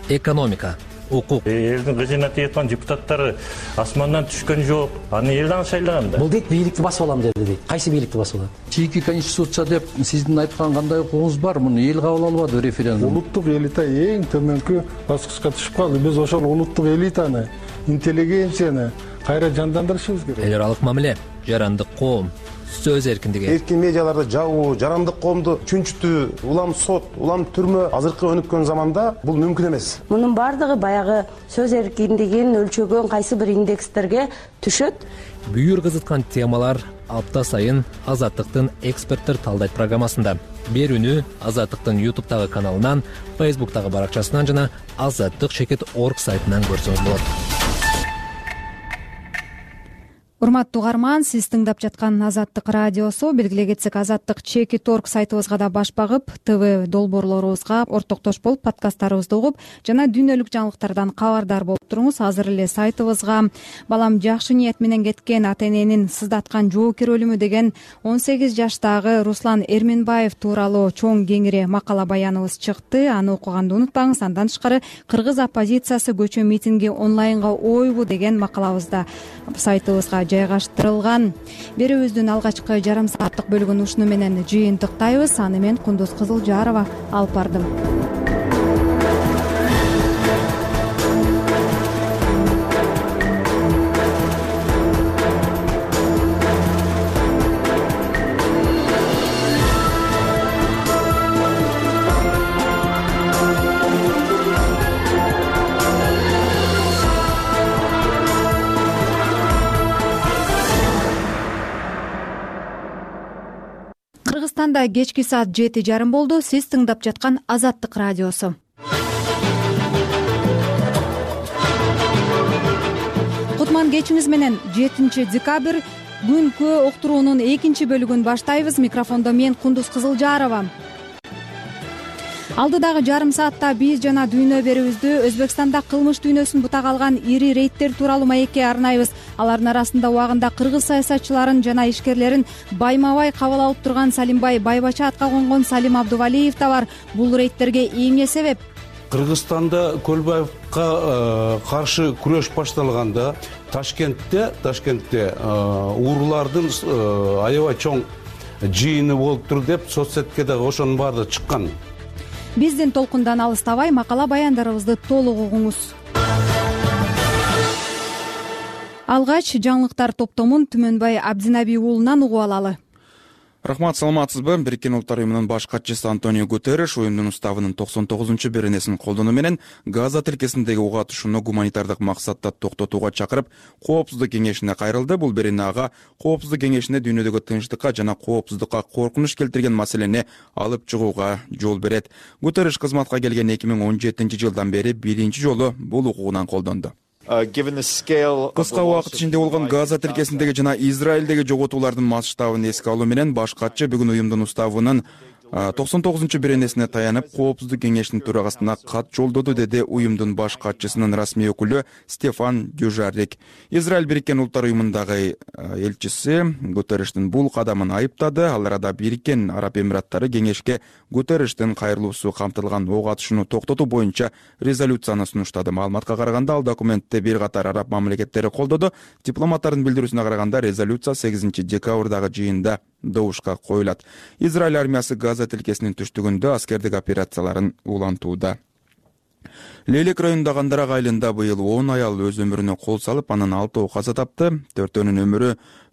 Speaker 20: экономика, укук.
Speaker 26: Элдин кызына тийаткан депутаттары асмандан түшкөн жок. Аны эл дагы шайлаган да.
Speaker 27: Бул дейт бийликти басып алам деди дейт. Кайсы бийликти басып алат?
Speaker 28: Чийки конституция деп сиздин айткан кандай укугуңуз бар? Муну эл кабыл албады референдум.
Speaker 23: Улуттук элита эң төмөнкү баскычка түшүп калды. Биз ошол улуттук элитаны, интеллигенцияны кайра жандандырышыбыз керек.
Speaker 20: Эл аралык мамиле, жарандык коом, сөз эркиндиги.
Speaker 29: Эркин медиаларды жабуу, жарандык коомду чүнчүтүү, улам сот, улам түрмө азыркы өнүккөн заманда бул мүмкүн эмес.
Speaker 25: Мунун бардыгы баягы сөз эркиндигин өлчөгөн кайсы бир индекстерге түшөт.
Speaker 20: Бүйүр кызыткан темалар апта сайын Азаттыктын эксперттер талдайт программасында. Берүүнү Азаттыктын YouTube'тагы каналынан, Facebook'тагы баракчасынан жана azattik.org сайтынан көрсөңүз болот.
Speaker 1: Урматтуу угарман, сиз тыңдап жаткан Азаттык радиосу. Белгилей кетсек, azattik.org сайтыбызга да баш багып, ТВ долбоорлорубузга ортоктош болуп, подкасттарыбызды угуп, жана дүйнөлүк жаңылыктардан кабардар болуп туруңуз. Азыр эле сайтыбызга балам жакшы ниет менен кеткен ата эненин сыздаткан жоокер өлүмү деген 18 жаштагы Руслан Эрменбаев тууралуу чоң кеңири макала баяныбыз чыкты. Аны окуганды унутпаңыз. Андан тышкары кыргыз оппозициясы көчө митинги онлайнга ойбу деген макалабыз да сайтыбызга жайгаштырылган. Берүүбүздүн алгачкы жарым сааттык бөлүгүн ушуну менен жыйынтыктайбыз. Аны мен Кундуз Кызылжарова алып бардым. Кыргызстанда кечки саат 7:30 болду. Сиз тыңдап жаткан Азаттык радиосу. Кутман кечиңиз менен 7 декабрь күнкө уктуруунун 2 бөлүгүн баштайбыз. Микрофондо мен Кундуз Кызылжарова. Алдыдагы жарым саатта биз жана дүйнө берүүбүздү Өзбекстанда кылмыш дүйнөсүн бутак алган ири рейдтер тууралуу маекке арнайбыз. Алардын арасында убагында кыргыз саясатчыларын жана ишкерлерин байма-бай кабыл алып турган Салимбай Байбача атка конгон Салим Абдувалиев да бар. Бул рейдтерге эмне себеп?
Speaker 22: Кыргызстанда Көлбаевка каршы күрөш башталганда Ташкентте уурулардын аябай чоң жыйыны болуптур деп соцсетке дагы ошонун баары чыккан.
Speaker 1: Биздин толкундан алыстабай макала баяндарыбызды толук угуңуз. Алгач жаңылыктар топтомун Түмөнбай Абдинаби уулунан угуп алалы.
Speaker 2: Рахмат, саламатсызбы? Бириккен Улуттар уюмунун баш катчысы Антонио Гутерриш уюмдун уставынын 99-беренесин колдонуу менен Газа тилкесиндеги ок атышууну гуманитардык максатта токтотууга чакырып, Коопсуздук кеңешине кайрылды. Бул берене ага Коопсуздук кеңешине дүйнөдөгү тынчтыкка жана коопсуздукка коркунуч келтирген маселени алып чыгууга жол берет. Гутерриш кызматка келген 2017-жылдан бери биринчи жолу бул укугунан колдонду. Кыска убакыт ичинде болгон Газа тилкесиндеги жана Израилдеги жоготуулардын масштабын эске алуу менен баш катчы бүгүн уюмдун уставынын 99-беренесине таянып, Коопсуздук кеңешинин төрагасына кат жолдоду, деди уюмдун баш катчысынын расмий өкүлү Стефан Дюжарик. Израиль Бириккен Улуттар уюмундагы элчиси Гутерриштин бул кадамын айыптады. Ал арада Бириккен Араб Эмираттары кеңешке Гутерриштин кайрылуусу камтылган ок атышууну токтотуу боюнча резолюцияны сунуштады. Маалыматка караганда, ал документти бир катар араб мамлекеттери колдоду. Дипломаттардын билдирүүсүнө караганда, резолюция 8 декабрдагы жыйында добушка коюлат. Израиль армиясы Газа тилкесинин түштүгүндө аскердик операцияларын улантууда. Лейлек районундагы Андарак айылында быйыл 10 аял өз өмүрүнө кол салып, анын 6-ы каза тапты. 4-өнүн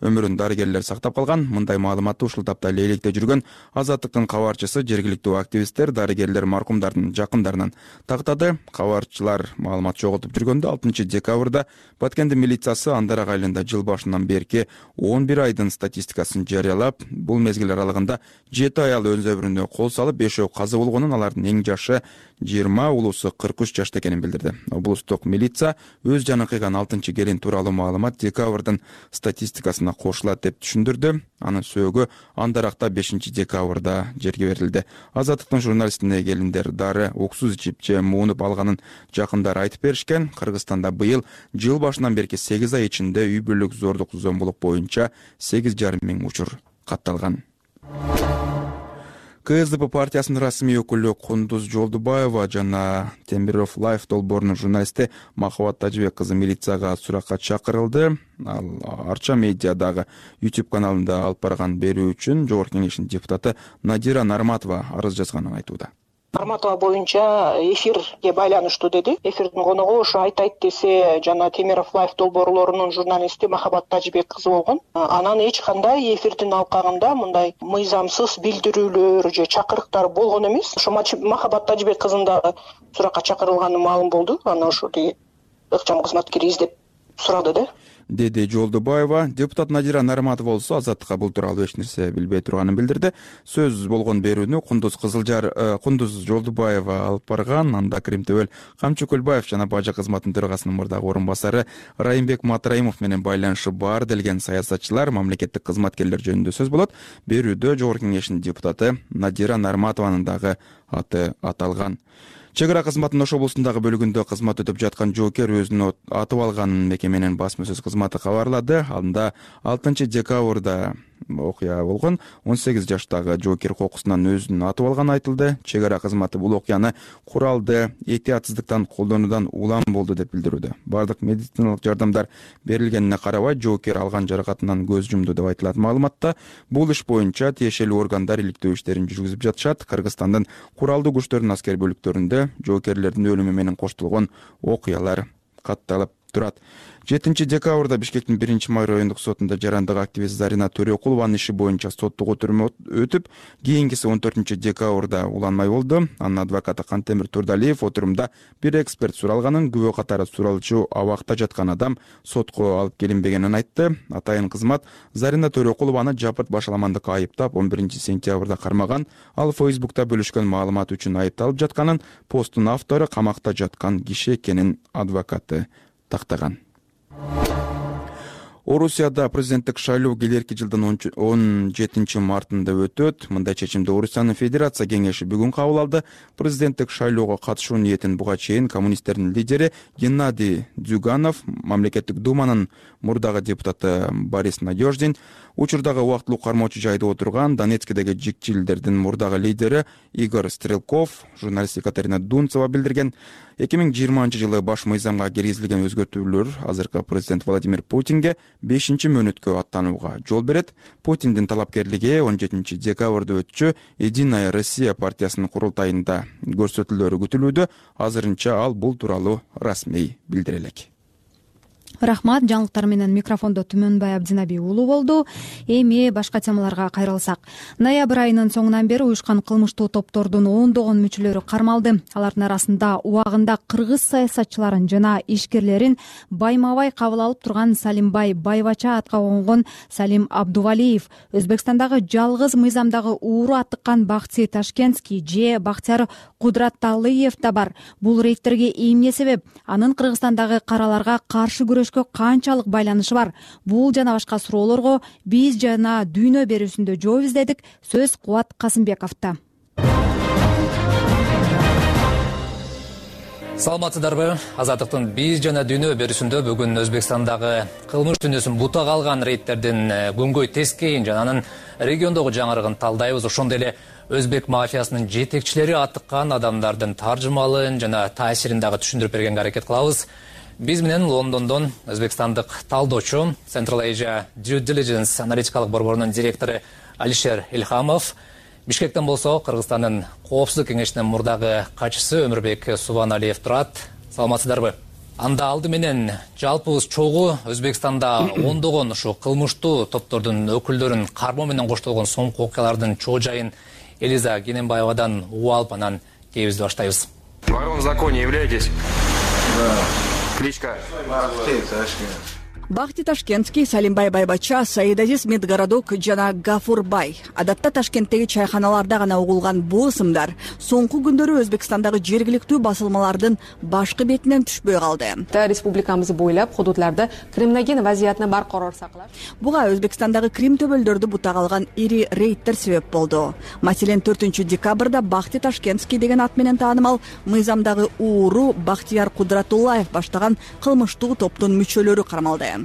Speaker 2: өмүрүн дарыгерлер сактап калган. Мындай маалыматты ушул тапта Лейлекте жүргөн Азаттыктын кабарчысы жергиликтүү активисттер дарыгерлер маркумдардын жакындарынан тактады. Кабарчылар маалымат жоготуп жүргөндө 6 декабрда Баткендин милициясы Андарак айылында жыл башынан берки 11 айдын статистикасын жарыялап, бул мезгил аралыгында 7 аял өз өмүрүнө кол салып, 5-өө каза болгонун, алардын эң жашы 20, улуусу 43 жашта экенин билдирди. Облустук милиция өз жаны кыйган 6 келин тууралуу маалымат декабрдын статистикасына кошулат деп түшүндүрдү. Анын сөөгү Андаракта 5 декабрда жерге берилди. Азаттыктын журналистине келиндер дары уксуз ичип же муунуп алганын жакындары айтып беришкен. Кыргызстанда быйыл жыл башынан берки 8 ай ичинде үй бүлөлүк зордук зомбулук боюнча 8,5 миң учур катталган. КСДП партиясынын расмий өкүлү Кундуз Жолдубаева жана Темиров Лайф долбоорунун журналисти Махабат Тажыбек кызы милицияга суракка чакырылды. Ал Арча медиадагы YouTube каналында алып барган берүү үчүн Жогорку Кеңештин депутаты Надира Нарматова арыз жазганын айтууда.
Speaker 5: Нарматова боюнча эфирге байланыштуу деди. Эфирдин коногу ошо айтайт десе жана Темиров Лайф долбоорлорунун журналисти Махабат Тажыбек кызы болгон. Анан эч кандай эфирдин алкагында мындай мыйзамсыз билдирүүлөр же чакырыктар болгон эмес. Ошо Махабат Тажыбек кызын дагы суракка чакырылганы маалым болду. Аны ошо ыкчам кызматкери издеп сурады да.
Speaker 2: Деди Жолдубаева. Депутат Надира Нарматова болсо Азаттыкка бул тууралуу эч нерсе билбей турганын билдирди. Сөз болгон берүүнү Кундуз Жолдубаева алып барган. Анда Кримтөбөл Камчы Көлбаев жана Бажа кызматынын төрагасынын мурдагы орун басары Райымбек Матраимов менен байланышы бар делген саясатчылар, мамлекеттик кызматкерлер жөнүндө сөз болот. Берүүдө Жогорку Кеңештин депутаты Надира Нарматованын дагы аты аталган. Чек ара кызматынын Ош облусундагы бөлүгүндө кызмат өтөп жаткан жоокер өзүн атып алганын мекеменин басма сөз кызматы кабарлады. Анда 6 декабрда окуя болгон. 18 жаштагы жоокер кокусунан өзүн атып алганы айтылды. Чек ара кызматы бул окуяны куралды этиятсыздыктан колдонуудан улам болду деп билдирүүдө. Бардык медициналык жардамдар берилгенине карабай, жоокер алган жаракатынан көз жумду деп айтылат маалыматта. Бул иш боюнча тиешелүү органдар иликтөө иштерин жүргүзүп жатышат. Кыргызстандын куралдуу күчтөрүнүн аскер бөлүктөрүндө жоокерлердин өлүмү менен коштолгон окуялар катталып турат. 7 декабрда Бишкектин 1-май райондук сотунда жарандык активист Зарина Төрөкулованын иши боюнча соттук отурум өтүп, кийинкиси 14 декабрда уланмай болду. Анын адвокаты Кантемир Турдалиев отурумда бир эксперт суралганын, күбө катары суралчу абакта жаткан адам сотко алып келинбегенин айтты. Атайын кызмат Зарина Төрөкулованы жапырт башаламандыкка айыптап, 11 сентябрда кармаган. Ал Facebook'та бөлүшкөн маалымат үчүн айыпталып жатканын, посттун автору камакта жаткан киши экенин адвокаты тактаган. Орусияда президенттик шайлоо келерки жылдын 17 мартында өтөт. Мындай чечимди Орусиянын Федерация кеңеши бүгүн кабыл алды. Президенттик шайлоого катышуу ниетин буга чейин коммунисттердин лидери Геннадий Дзюганов, мамлекеттик думанын мурдагы депутаты Борис Надеждин, учурдагы убактылуу кармоочу жайда отурган Донецкидеги жикчилдердин мурдагы лидери Игорь Стрелков, журналист Екатерина Дунцова билдирген. 2020-жылы баш мыйзамга киргизилген өзгөртүүлөр азыркы президент Владимир Путинге 5-мөөнөткө аттанууга жол берет. Путиндин талапкерлиги 17 декабрда өтчү Единая Россия партиясынын курултайында көрсөтүлөөрү күтүлүүдө. Азырынча ал бул тууралуу расмий билдире элек.
Speaker 1: Рахмат, жаңылыктар менен микрофондо Түмөнбай Абдинаби уулу болду. Эми башка темаларга кайрылсак. Ноябрь айынын соңунан бери уюшкан кылмыштуу топтордун ондогон мүчөлөрү кармалды. Алардын арасында убагында кыргыз саясатчыларын жана ишкерлерин байма-бай кабыл алып турган Салимбай Байбача атка конгон Салим Абдувалиев, Өзбекстандагы жалгыз мыйзамдагы ууру аттыккан Бахти Ташкентский же Бахтияр Кудраталыев да бар. Бул рейдтерге эмне себеп? Анын Кыргызстандагы караларга каршы күрөшкө канчалык байланышы бар? Бул жана башка суроолорго биз жана Дүйнө берүүсүндө жооп издедик. Сөз Кубат Касымбековдо.
Speaker 20: Саламатсыздарбы? Азаттыктын биз жана Дүйнө берүүсүндө бүгүн Өзбекстандагы кылмыш дүйнөсүн бутага алган рейдтердин күнгөй тескейин жана анын региондогу жаңырыгын талдайбыз. Ошондой эле өзбек мафиясынын жетекчилери аттыккан адамдардын таржымалын жана таасирин дагы түшүндүрүп бергенге аракет кылабыз. Биз менен Лондондон өзбекстандык талдоочу Central Asia Due Diligence аналитикалык борборунун директору Алишер Илхамов, Бишкектен болсо Кыргызстандын коопсуздук кеңешинин мурдагы катчысы Өмүрбек Субаналиев турат. Саламатсыздарбы? Анда алды менен жалпыбыз чогуу Өзбекстанда ондогон ушу кылмыштуу топтордун өкүлдөрүн кармоо менен коштолгон соңку окуялардын чоо жайын Элиза Гененбаевадан угуп алып, анан кебизди баштайбыз.
Speaker 3: Ворон в законе являетесь? Да. Кличка?
Speaker 7: Бахти Ташкентский, Салимбай Байбача, Саидазиз Медгородок жана Гафурбай. Адатта Ташкенттеги чайханаларда гана угулган бул ысымдар соңку күндөрү Өзбекстандагы жергиликтүү басылмалардын башкы бетинен түшпөй калды.
Speaker 8: Республикабыз бойлап худудларда криминоген вазиятны баркарор сактап.
Speaker 7: Буга Өзбекстандагы Крим төбөлдөрдү бутага алган ири рейдтер себеп болду. Маселен 4 декабрда Бахти Ташкентский деген ат менен таанымал мыйзамдагы ууру Бахтияр Кудратуллаев баштаган кылмыштуу топтун мүчөлөрү кармалды.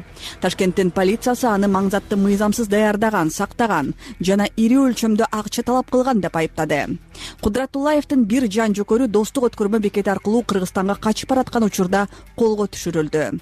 Speaker 7: Ташкенттин полициясы аны маңзатты мыйзамсыз даярдаган, сактаган жана ири өлчөмдө акча талап кылган деп айыптады. Кудратуллаевдин бир жан жөкөрү достук өткөрмө бекети аркылуу Кыргызстанга качып бараткан учурда колго түшүрүлдү.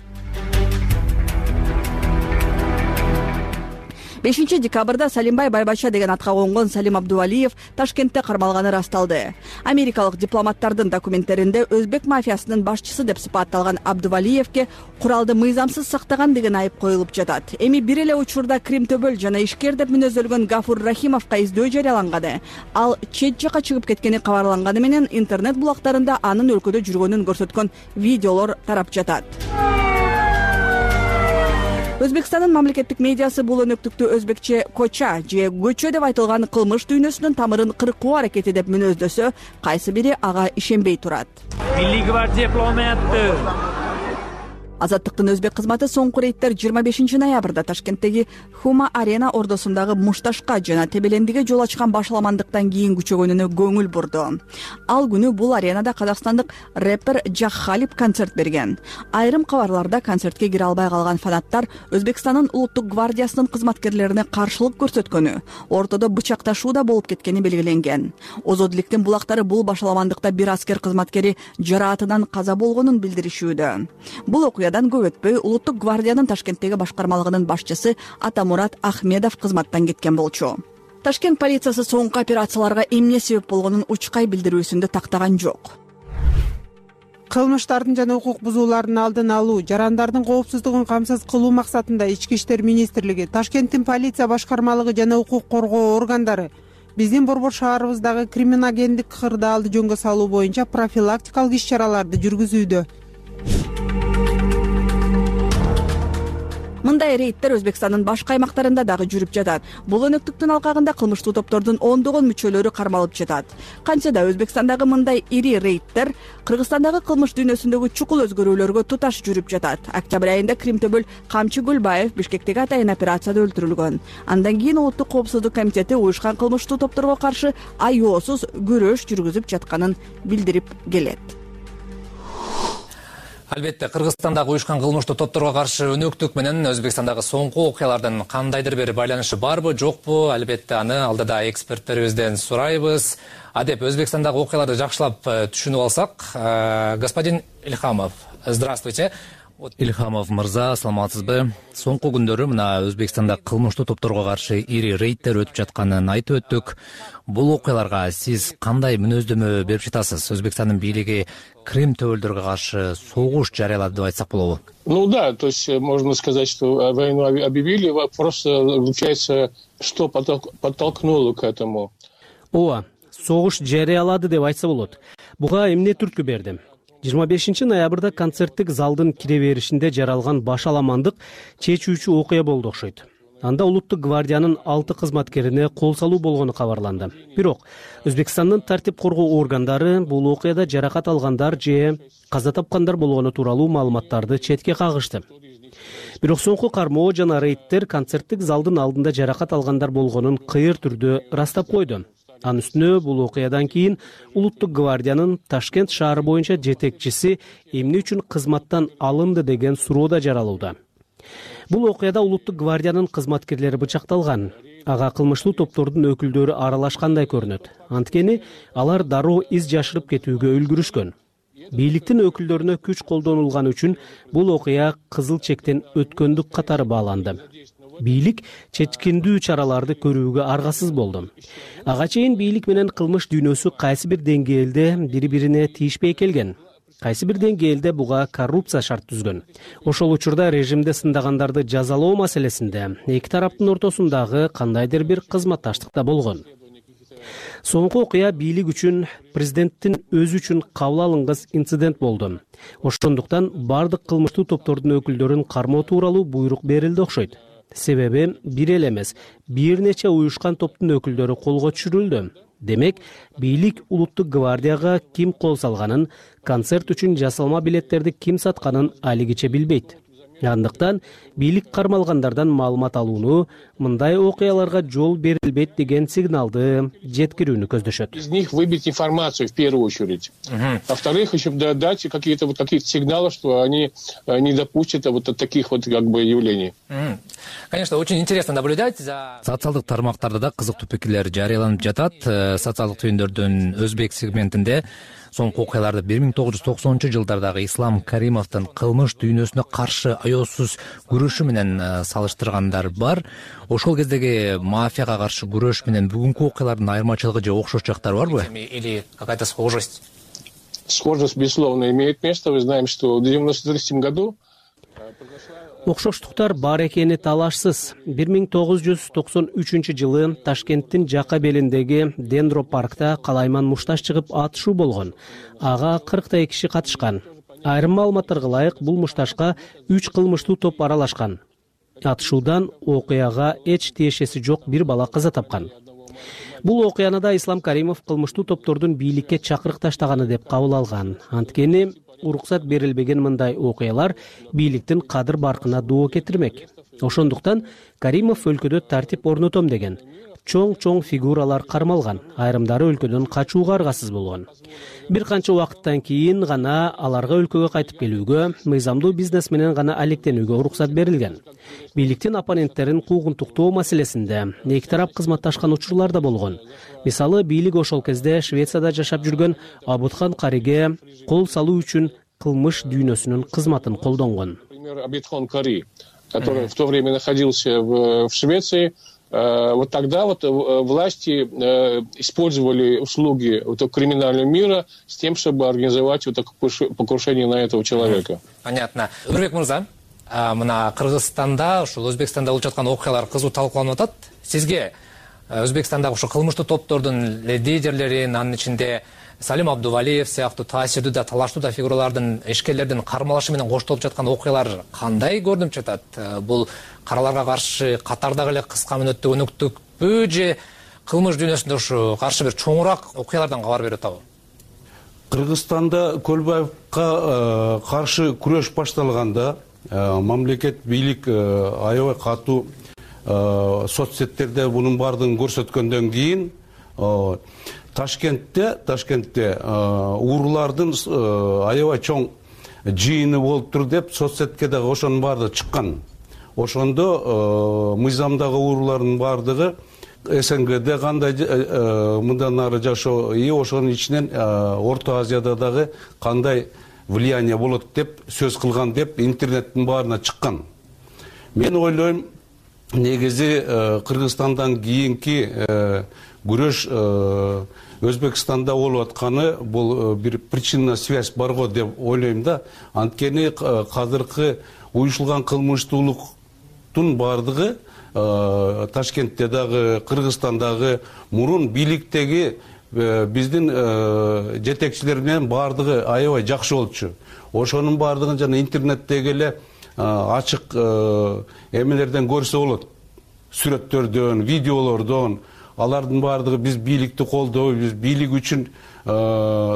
Speaker 7: 5 декабрда Салимбай Байбача деген атка конгон Салим Абдувалиев Ташкентте кармалганы расталды. Америкалык дипломаттардын документтеринде өзбек мафиясынын башчысы деп сыпатталган Абдувалиевке куралды мыйзамсыз сактаган деген айып коюлуп жатат. Эми бир эле учурда Крим төбөл жана ишкер деп мүнөздөлгөн Гафур Рахимовго издөө жарыяланганы. Ал чет жака чыгып кеткени кабарланганы менен интернет булактарында анын өлкөдө жүргөнүн көрсөткөн видеолор тарап жатат. Өзбекстандын мамлекеттик медиасы бул өнөктүктү өзбекче коча же көчө деп айтылган кылмыш дүйнөсүнүн тамырын кыркуу аракети деп мүнөздөсө, кайсы бири ага ишенбей турат.
Speaker 9: Милли гвардия дипломаты.
Speaker 7: Азаттыктын өзбек кызматы соңку рейдтер 25 ноябрда Ташкенттеги Хума Арена ордосундагы Мушташка жана Тебелендиге жол ачкан башаламандыктан кийин күчөгөнүнө көңүл бурду. Ал күнү бул аренада казакстандык рэпер Жаххалип концерт берген. Айрым кабарларда концертке кире албай калган фанаттар Өзбекстандын улуттук гвардиясынын кызматкерлерине каршылык көрсөткөнү, ортодо бычакташуу да болуп кеткени белгиленген. Озодиликтин булактары бул башаламандыкта бир аскер кызматкери жараатынан каза болгонун билдиришүүдө. Бул окуя көп өтпөй улуттук гвардиянын Ташкенттеги башкармалыгынын башчысы Атамурат Ахмедов кызматтан кеткен болчу. Ташкент полициясы соңку операцияларга эмне себеп болгонун учкай билдирүүсүндө тактаган жок.
Speaker 10: кылмыштардын жана укук бузуулардын алдын алуу, жарандардын коопсуздугун камсыз кылуу максатында Ички иштер министрлиги, Ташкенттин полиция башкармалыгы жана укук коргоо органдары биздин Борбор шаарыбыздагы криминогендик кырдаалды жөнгө салуу боюнча профилактикалык иш-чараларды жүргүзүүдө.
Speaker 7: Мындай рейдтер Өзбекстандын башка аймактарында дагы жүрүп жатат. Бул өнөктүктүн алкагында кылмыштуу топтордун ондогон мүчөлөрү кармалып жатат. Кантсе да Өзбекстандагы мындай ири рейдтер Кыргызстандагы кылмыш дүйнөсүндөгү чукул өзгөрүүлөргө туташ жүрүп жатат. Октябрь айында Кримтөбөл Камчы Гүлбаев Бишкектеги атайын операцияда өлтүрүлгөн. Андан кийин Улуттук коопсуздук комитети уюшкан кылмыштуу топторго каршы айоосуз күрөш жүргүзүп жатканын билдирип келет.
Speaker 20: Албетте, Кыргызстандагы уюшкан кылмыштуу топторго каршы өнөктүк менен Өзбекстандагы соңку окуялардын кандайдыр бир байланышы барбы, жокпу? Албетте, аны алдыда эксперттерибизден сурайбыз. Адеп, Өзбекстандагы окуяларды жакшылап түшүнүп алсак, господин Ильхамов, здравствуйте. Ильхамов мырза, саламатсызбы? Соңку күндөрү мына Өзбекстанда кылмыштуу топторго каршы ири рейдтер өтүп жатканын айтып өттүк. Бул окуяларга сиз кандай мүнөздөмө берип жатасыз? Өзбекстандын бийлиги Крым төбөлдөргө каршы согуш жарыялады деп айтсак болобу?
Speaker 24: Ну да, то есть можно сказать, что войну объявили. Вопрос заключается, что подтолкнуло к этому.
Speaker 11: Ооба, согуш жарыялады деп айтса болот. Буга эмне түрткү берди? 25 ноябрда концерттик залдын кире беришинде жаралган баш аламандык чечүүчү окуя болду окшойт. Анда Улуттук гвардиянын 6 кызматкерине кол салуу болгону кабарланды. Бирок Өзбекстандын тартип коргоо органдары бул окуяда жаракат алгандар же каза тапкандар болгону тууралуу маалыматтарды четке кагышты. Бирок соңку кармоо жана рейдтер концерттик залдын алдында жаракат алгандар болгонун кыйыр түрдө ырастап койду. Анын үстүнө бул окуядан кийин Улуттук гвардиянын Ташкент шаары боюнча жетекчиси эмне үчүн кызматтан алынды деген суроо да жаралууда. Бул окуяда Улуттук гвардиянын кызматкерлери бычакталган. Ага кылмыштуу топтордун өкүлдөрү аралашкандай көрүнөт. Анткени алар дароо из жашырып кетүүгө үлгүрүшкөн. Бийликтин өкүлдөрүнө күч колдонулганы үчүн бул окуя кызыл чектен өткөндүк катары бааланды. Бийлик чечкиндүү чараларды көрүүгө аргасыз болду. Ага чейин бийлик менен кылмыш дүйнөсү кайсы бир деңгээлде бири-бирине тийишпей келген. Кайсы бир деңгээлде буга коррупция шарт түзгөн. Ошол учурда режимде сындагандарды жазалоо маселесинде эки тараптын ортосундагы кандайдыр бир кызматташтыкта болгон. Соңку окуя бийлик үчүн, президенттин өзү үчүн кабыл алынгыс инцидент болду. Ошондуктан бардык кылмыштуу топтордун өкүлдөрүн кармоо тууралуу буйрук берилди окшойт. Себеби бир эле эмес, бир нече уюшкан топтун өкүлдөрү колго түшүрүлдү. Демек, бийлик Улуттук гвардияга ким кол салганын, концерт үчүн жасалма билеттерди ким сатканын алигиче билбейт. Андыктан бийлик кармалгандардан маалымат алууну, мындай окуяларга жол берилбейт деген сигналды жеткирүүнү көздөшөт.
Speaker 24: Из них выбить информацию в первую очередь. Во-вторых, еще дать какие-то сигналы, что они не допустят вот таких вот как бы явлений.
Speaker 20: Конечно, очень интересно наблюдать за социалдык тармактарда да кызыктуу пикирлер жарыяланып жатат. Социалдык түйүндөрдүн өзбек сегментинде соңку окуяларды 1990-жылдардагы Ислам Каримовдун кылмыш дүйнөсүнө каршы аяосуз күрөшү менен салыштыргандар бар. Ошол кездеги мафияга каршы күрөш менен бүгүнкү окуялардын айырмачылыгы же окшош жактары барбы? Или какая-то схожесть?
Speaker 24: Схожесть, безусловно, имеет место. Мы знаем, что в 1993 году
Speaker 11: окшоштуктар бар экени талашсыз. 1993-жылы Ташкенттин жака белиндеги Дендро паркта калайман мушташ чыгып атышуу болгон. Ага 40 киши катышкан. Айрым маалыматтарга ылайык бул мушташка 3 кылмыштуу топ аралашкан. Атышуудан окуяга эч тиешеси жок бир бала каза тапкан. Бул окуяны да Ислам Каримов кылмыштуу топтордун бийликке чакырык таштаганы деп кабыл алган. Анткени уруксат берилбеген мындай окуялар бийликтин кадыр баркына доо кетирмек. Ошондуктан Каримов өлкөдө тартип орнотом деген чоң фигуралар кармалган, айрымдары өлкөдөн качууга аргасыз болгон. Бир канча убакыттан кийин гана аларга өлкөгө кайтып келүүгө, мыйзамдуу бизнес менен гана алектенүүгө уруксат берилген. Бийликтин оппоненттерин куугунтуктоо маселесинде эки тарап кызматташкан учурлар да болгон. Мисалы, бийлик ошол кезде Швецияда жашап жүргөн Абутхан Кариге кол салуу үчүн кылмыш дүйнөсүнүн кызматын колдонгон.
Speaker 24: Например, Абутхан Кари, который в то время находился в Швеции, вот тогда вот власти использовали услуги вот криминального мира с тем, чтобы организовать вот такое покушение на этого человека.
Speaker 20: Понятно. Өмүрбек мырза, мына Кыргызстанда, ушул Өзбекстанда болуп жаткан окуялар кызуу талкууланып атат. Сизге Өзбекстандагы ушу кылмыштуу топтордун лидерлерин, анын ичинде Салим Абдувалиев сыяктуу таасирдүү да, талаштуу да фигуралардын, ишкерлердин кармалышы менен коштолуп жаткан окуялар кандай көрүнүп жатат? Бул караларга каршы катардагы эле кыска мөөнөттө өнүктүкпү же кылмыш дүйнөсүндө ушу каршы бир чоңураак окуялардан кабар берип атабы?
Speaker 22: Кыргызстанда Көлбаевка каршы күрөш башталганда мамлекет бийлик аябай катуу соцсеттерде бунун баардыгын көрсөткөндөн кийин Ташкентте уурулардын аябай чоң жыйыны болуптур деп соцсетке дагы ошонун баардыгы чыккан. Ошондо мыйзамдагы уурулардын баардыгы СНГде кандай мындан ары жашоо, ошонун ичинен Орто Азияда дагы кандай влияние болот деп сөз кылган деп интернеттин баарына чыккан. Мен ойлойм, негизи Кыргызстандан кийинки күрөш Өзбекстанда болуп атканы бул бир причинная связь бар го деп ойлойм да. Анткени азыркы уюшулган кылмыштуулуктун баардыгы Ташкентте дагы, Кыргызстандагы мурун бийликтеги биздин жетекчилер менен баардыгы аябай жакшы болчу. Ошонун баардыгын жана интернеттеги эле ачык эмелерден көрсө болот. Сүрөттөрдөн, видеолордон, алардын баардыгы биз бийликти колдойбуз, бийлик үчүн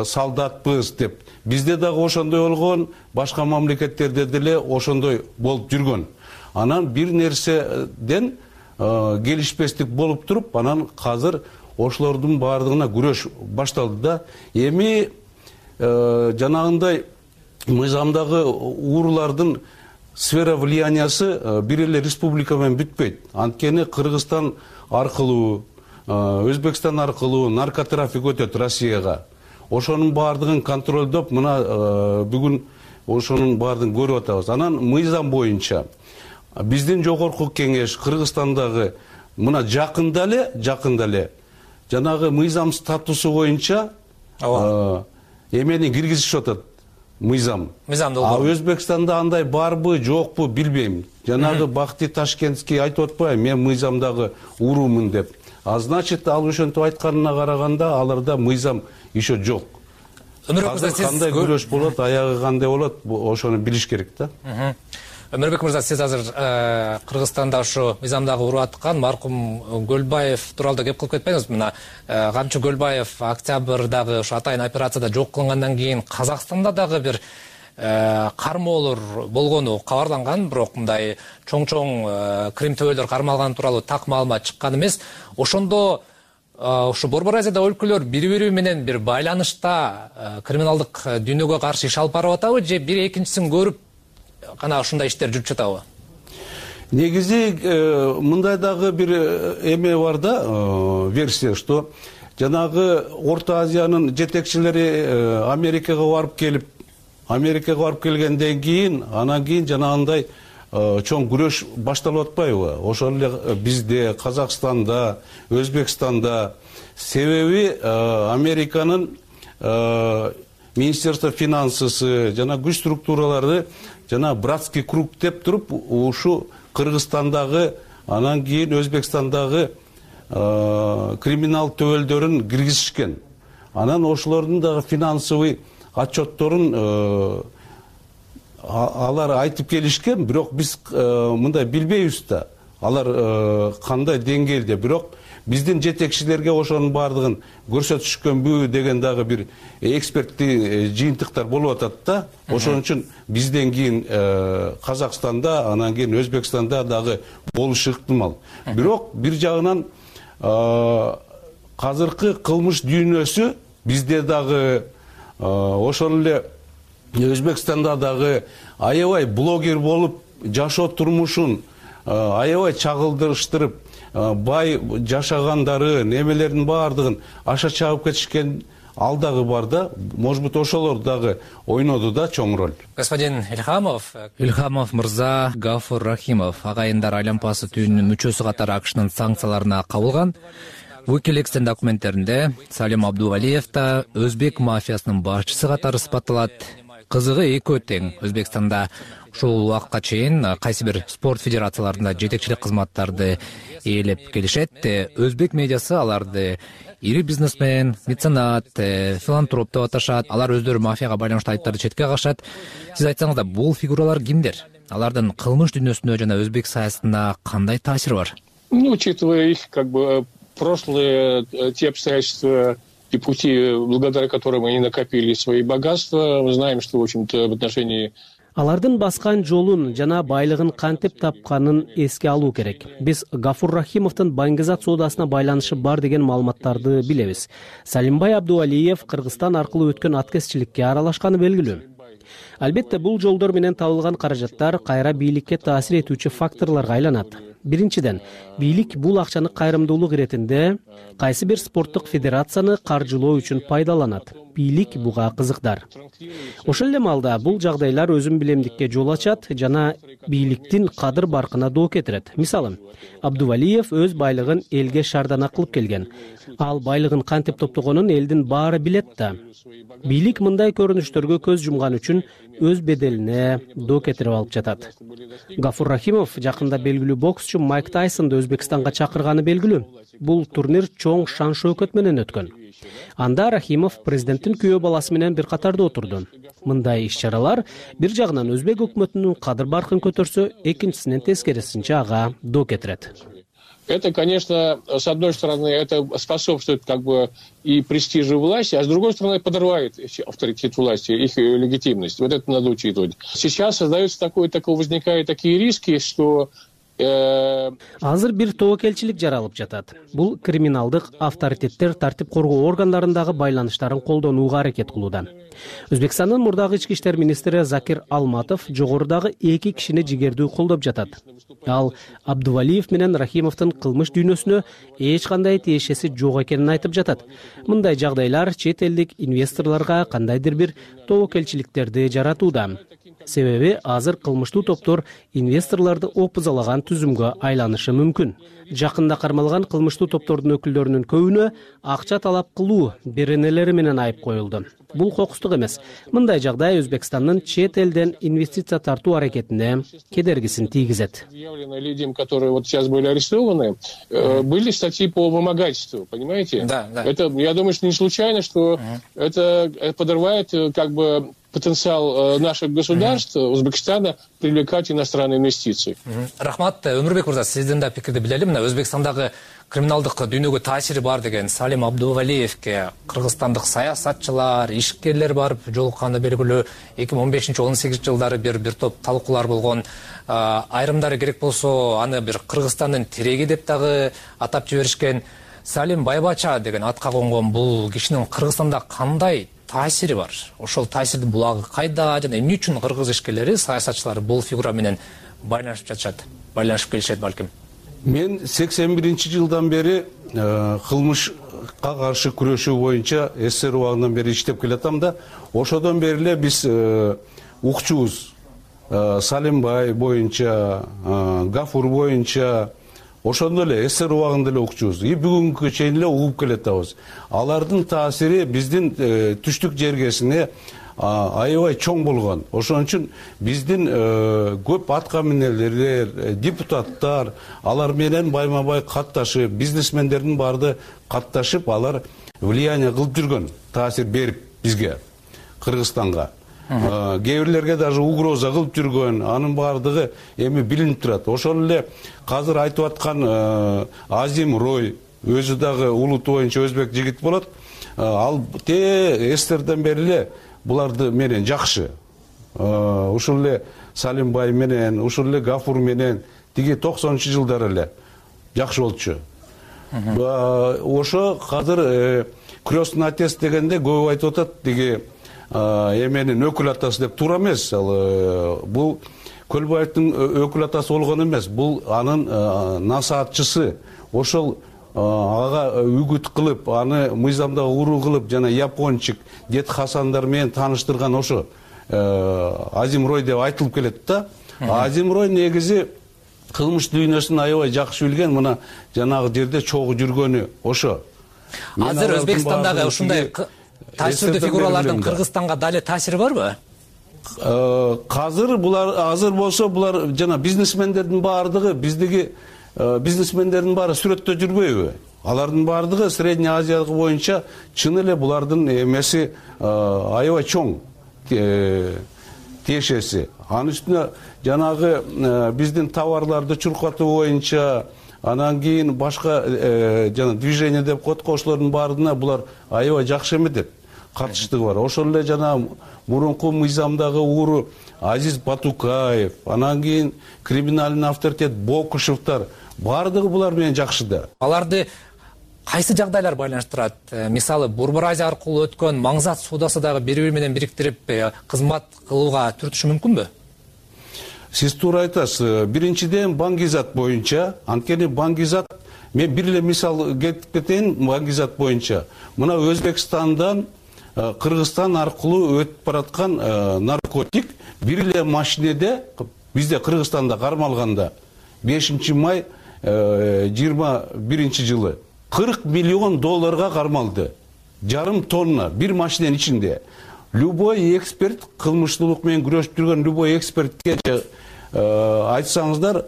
Speaker 22: солдатпыз деп. Бизде дагы ошондой болгон, башка мамлекеттерде деле ошондой болуп жүргөн. Анан бир нерседен келишпестик болуп туруп, анан азыр ошолордун баардыгына күрөш башталды да. Эми жанагындай мыйзамдагы уурулардын сфера влияниясы бир эле республика менен бүтпөйт. Анткени Кыргызстан аркылуу, Өзбекстан аркылуу наркотрафик өтөт Россияга. Ошонун баардыгын контролдоп, мына бүгүн ошонун баардыгын көрүп атабыз. Анан мыйзам боюнча биздин жогорку кеңеш Кыргызстандагы мына жакында эле жанагы мыйзам статусу боюнча эмени киргизишип атат. Мыйзамды Өзбекстанда андай барбы, жокпу билбейм. Жанагы Бакти Ташкентский айтып атпайбы, мен мыйзамдагы уурумун деп. Значит, ал ошентип айтканына караганда аларда мыйзам еще жок. Кандай күрөш болот, аягы кандай болот, ошону билиш керек да.
Speaker 20: Өмүрбек мырза, сиз азыр Кыргызстанда ушу мыйзамдагы уруп аткан маркум Көлбаев тууралуу кеп кылып кетпеңиз. Мына Камчы Көлбаев октябрдагы ушу атайын операцияда жок кылынгандан кийин Казакстанда дагы бир кармоолор болгону кабарланган, бирок мындай чоң крим төбөлөр кармалган тууралуу так маалымат чыккан эмес. Ошондо ушу Борбор Азияда өлкөлөр бири-бири менен бир байланышта криминалдык дүйнөгө каршы иш алып барып атабы же бир экинчисин көрүп кана ушундай иштер жүрүп жатабы?
Speaker 22: Негизи мындай дагы бир эме бар да, версия, что жанагы Орто Азиянын жетекчилери Америкага барып келгенден кийин, анан кийин жанагындай чоң күрөш башталып атпайбы? Ошол эле бизде, Казакстанда, Өзбекстанда. Себеби Американын Министерство финансысы жана күч структуралары жана братский круг деп туруп ушу Кыргызстандагы, анан кийин Өзбекстандагы криминал төбөлдөрүн киргизишкен. Анан ошолордун дагы финансовый отчетторун алар айтып келишкен, бирок биз мындай билбейбиз да. Алар кандай деңгээлде, бирок биздин жетекчилерге ошонун баардыгын көрсөтүшкөнбү деген дагы бир эксперттик жыйынтыктар болуп атат да. Ошон үчүн бизден кийин Казакстанда, анан кийин Өзбекстанда дагы болушу ыктымал. Бирок бир жагынан азыркы кылмыш дүйнөсү бизде дагы ошол эле Өзбекстанда дагы аябай блогер болуп жашоо турмушун аябай чагылдырыштырып, бай жашагандары, немелердин баардыгын аша чабып кетишкен ал дагы бар да, может быть, ошолор дагы ойноду да чоң роль.
Speaker 20: Господин Ильхамов мырза, Гафур Рахимов агайындар айланпасы түбүнүн мүчөсү катары АКШнын санкцияларына кабылган. Wikileaks'тин документтеринде Салим Абдувалиев да өзбек мафиясынын башчысы катары сыпатталат. Кызыгы экөө тең. Өзбекстанда ушул убакка чейин кайсы бир спорт федерацияларында жетекчилик кызматтарды ээлеп келишет. Өзбек медиасы аларды ири бизнесмен, меценат, филантроп деп аташат. Алар өздөрү мафияга байланыштуу айыптарды четке кагышат. Сиз айтсаңыз да, бул фигуралар кимдер? Алардын кылмыш дүйнөсүнө жана өзбек саясатына кандай таасири бар?
Speaker 24: Учитывая их прошлые те обстоятельства и пути, благодаря которым они накопили свои богатства, мы знаем, что, в общем-то, в отношении...
Speaker 11: Алардын баскан жолун жана байлыгын кантип тапканын эске алуу керек. Биз Гафур Рахимовдун баңгизат соодасына байланышы бар деген маалыматтарды билебиз. Салимбай Абдувалиев Кыргызстан аркылуу өткөн аткезчиликке аралашканы белгилүү. Албетте, бул жолдор менен табылган каражаттар кайра бийликке таасир этүүчү факторлорго айланат. Биринчиден, бийлик бул акчаны кайрымдуулук иретинде кайсы бир спорттук федерацияны каржылоо үчүн пайдаланат. Бийлик буга кызыкдар. Ошол эле маалда бул жагдайлар өзүн билемдикке жол ачат жана бийликтин кадыр баркына доо кетирет. Мисалы, Абдувалиев өз байлыгын элге шардана кылып келген. Ал байлыгын кантип топтогонун элдин баары билет да. Бийлик мындай көрүнүштөргө көз жумган үчүн өз беделине доо кетирип алып жатат. Гафур Рахимов жакында белгилүү боксчу Майк Тайсонду Өзбекстанга чакырганы белгилүү. Бул турнир чоң шан-шөкөт менен өткөн. Анда Рахимов президенттин күйөө баласы менен бир катарда отурду. Мындай иш-чаралар бир жагынан өзбек өкмөтүнүн кадыр баркын көтөрсө, экинчисинен тескерисинче ага доо кетирет.
Speaker 24: Это, конечно, с одной стороны, это способствует и престижу власти, а с другой стороны, подрывает авторитет власти, их легитимность. Вот это надо учитывать. Сейчас создается возникают такие риски, что
Speaker 11: азыр бир тобокелчилик жаралып жатат. Бул криминалдык авторитеттер тартип коргоо органдарындагы байланыштарын колдонууга аракет кылууда. Өзбекстандын мурдагы ички иштер министри Закир Алматов жогорудагы эки кишини жигердүү колдоп жатат. Ал Абдувалиев менен Рахимовдун кылмыш дүйнөсүнө эч кандай тиешеси жок экенин айтып жатат. Мындай жагдайлар чет элдик инвесторлорго кандайдыр бир тобокелчиликтерди жаратууда. Себеби азыр кылмыштуу топтор инвесторлорду опузалаган түзүмгө айланышы мүмкүн. Жакында кармалган кылмыштуу топтордун өкүлдөрүнүн көбүнө акча талап кылуу беренелери менен айып коюлду. Бул кокустук эмес. Мындай жагдай Өзбекстандын чет элден инвестиция тартуу аракетине кедергисин тийгизет.
Speaker 24: Людям, которые вот сейчас были арестованы, были статьи по вымогательству, понимаете? Да. Это, я думаю, что не случайно, что это подрывает потенциал наших государств, Узбекистана, привлекать иностранные инвестиции.
Speaker 20: Рахмат, Өмүрбек мырза, сиздин да пикирди билели. Мына Өзбекстандагы криминалдык дүйнөгө таасири бар деген Салим Абдувалиевке кыргызстандык саясатчылар, ишкерлер барып жолукканы белгилүү. 2015-18 жылдары бир топ талкуулар болгон. Айрымдары керек болсо аны бир Кыргызстандын тиреги деп дагы атап жиберишкен. Салим Байбача деген атка конгон бул кишинин Кыргызстанда кандай таасири бар? Ошол таасирдин булагы кайда жана эмне үчүн кыргыз ишкерлери, саясатчылары бул фигура менен байланышып жатышат, байланышып келишет балким?
Speaker 22: Мен 81-жылдан бери кылмышка каршы күрөшүү боюнча СССР убагынан бери иштеп келатам да, ошодон бери эле биз укчубуз. Салимбай боюнча, Гафур боюнча, ошондо эле СССР убагында эле укчубуз. И бүгүнкү чейин эле угуп келатабыз. Алардын таасири биздин түштүк жергесине аябай чоң болгон. Ошон үчүн биздин көп атка минелер, депутаттар, алар менен байма-бай катташып, бизнесмендердин баарды катташып, алар влияние кылып жүргөн, таасир берип бизге, Кыргызстанга. Кээ бирлерге даже угроза кылып жүргөн, анын баардыгы эми билинип турат. Ошол эле азыр айтып аткан Азим Рой, өзү дагы улуту боюнча өзбек жигит болот. Ал СССРден бери эле буларды менен жакшы. Ушул эле Салимбай менен, ушул эле Гафур менен тиги 90-жылдары эле жакшы болчу. Ошо азыр крестный отец дегенде көп айтып атат, тиги эменин өкүл атасы деп туура эмес. Бул Көлбаевдин өкүл атасы болгон эмес. Бул анын насаатчысы. Ошол ага үгүт кылып, аны мыйзамдагы уруу кылып, жана япончик Дед Хасандар менен тааныштырган ошо Азим Рой деп айтылып келет да. Азим Рой негизи кылмыш дүйнөсүн аябай жакшы билген, мына жанагы жерде чогуу жүргөнү ошо.
Speaker 20: Азыр Өзбекстандагы ушундай таасирдүү фигуралардын Кыргызстанга дали таасири барбы?
Speaker 22: Азыр болсо булар жана бизнесмендердин баардыгы, биздеги бизнесмендердин баары сүрөттө жүрбөйбү? Алардын баардыгы Средний Азиядагы боюнча чын эле булардын эмеси аябай чоң тиешеси. Анын үстүнө жанагы биздин товарларды чуркатуу боюнча, анан кийин башка жана движение деп коет, ошолордун баарына булар аябай жакшы эметет. Катыштыгы бар. Ошол эле жана мурунку мыйзамдагы ууру Азиз Батукаев, анан кийин криминальный авторитет Бокушевтар, баардыгы булар менен жакшы да.
Speaker 20: Аларды кайсы жагдайлар байланыштырат? Мисалы, Борбор Азия аркылуу өткөн маңзат соодасы дагы бири-бири менен бириктирип кызмат кылууга түртүшү мүмкүнбү?
Speaker 22: Сиз туура айтасыз. Биринчиден Баңгизат боюнча, анткени Баңгизат, мен бир эле мисал кетип кетейин Баңгизат боюнча. Мына Өзбекстандан Кыргызстан аркылуу өтүп бараткан наркотик бир эле машинеде бизде Кыргызстанда кармалганда 5 май 21 жылы 40 миллион долларга кармалды. Жарым тонна бир машиненин ичинде. Любой эксперт, кылмыштуулук менен күрөшүп жүргөн любой экспертке айтсаңыздар,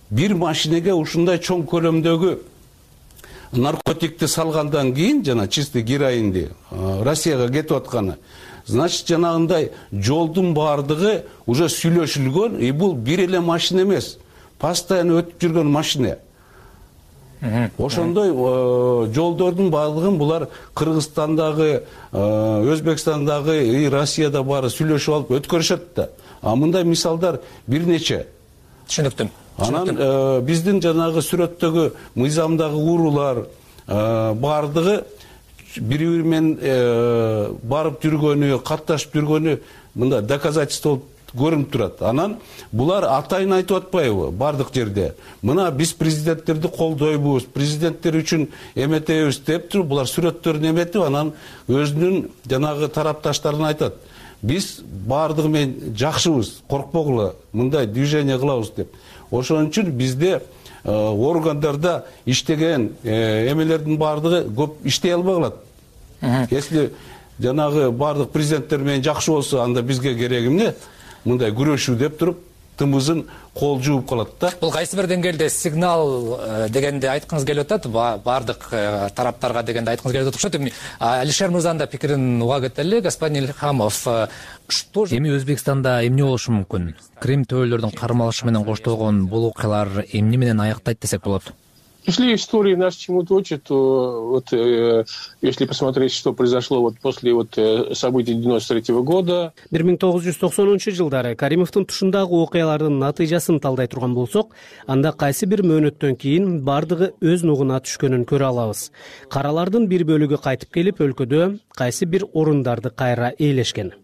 Speaker 22: бир машинеге ушундай чоң көлөмдөгү наркотикти салгандан кийин, жана чистый героинди Россияга кетип атканы, значит, жанагындай жолдун баардыгы уже сүйлөшүлгөн, и бул бир эле машина эмес, постоянно өтүп жүргөн машина. Ошондой жолдордун баардыгын булар Кыргызстандагы, Өзбекстандагы и Россияда баары сүйлөшүп алып өткөрүшөт да. А мындай мисалдар бир нече.
Speaker 20: Түшүнүктүм.
Speaker 22: Анан биздин жанагы сүрөттөгү мыйзамдагы уруулар баардыгы бири-бири менен барып жүргөнү, катташып жүргөнү мындай доказательство болуп көрүнүп турат. Анан булар атайын айтып атпайбы бардык жерде? Мына биз президенттерди колдойбуз, президенттер үчүн эметебиз деп туруп, булар сүрөттөрүн эметип, анан өзүнүн жанагы тарапташтарына айтат. Биз баардыгы менен жакшыбыз, коркпогула, мындай движение кылабыз деп. Ошон үчүн бизде органдарда иштеген эмелердин баардыгы көп иштей албай калат. Если жанагы баардык президенттер менен жакшы болсо, анда бизге кереги эмне? Мындай күрөшүү деп туруп, тымызын кол жууп калат да.
Speaker 20: Бул кайсы бир деңгээлде сигнал дегенде айткыңыз келип атат, баардык тараптарга дегенде айткыңыз келип атат окшойт. Алишер мырзанын да пикирин уга кетели. Господин Ильхамов, эми Өзбекстанда эмне болушу мүмкүн? Крим төбөлөрдүн кармалышы менен коштолгон бул окуялар эмне менен аяктайт десек болот?
Speaker 24: Если история нас чему-то учит, то вот если посмотреть, что произошло вот после событий 93-го года.
Speaker 11: 1990-жылдары Каримовдун тушундагы окуялардын натыйжасын талдай турган болсок, анда кайсы бир мөөнөттөн кийин бардыгы өз нугуна түшкөнүн көрө алабыз. Каралардын бир бөлүгү кайтып келип, өлкөдө кайсы бир орундарды кайра ээлешкен.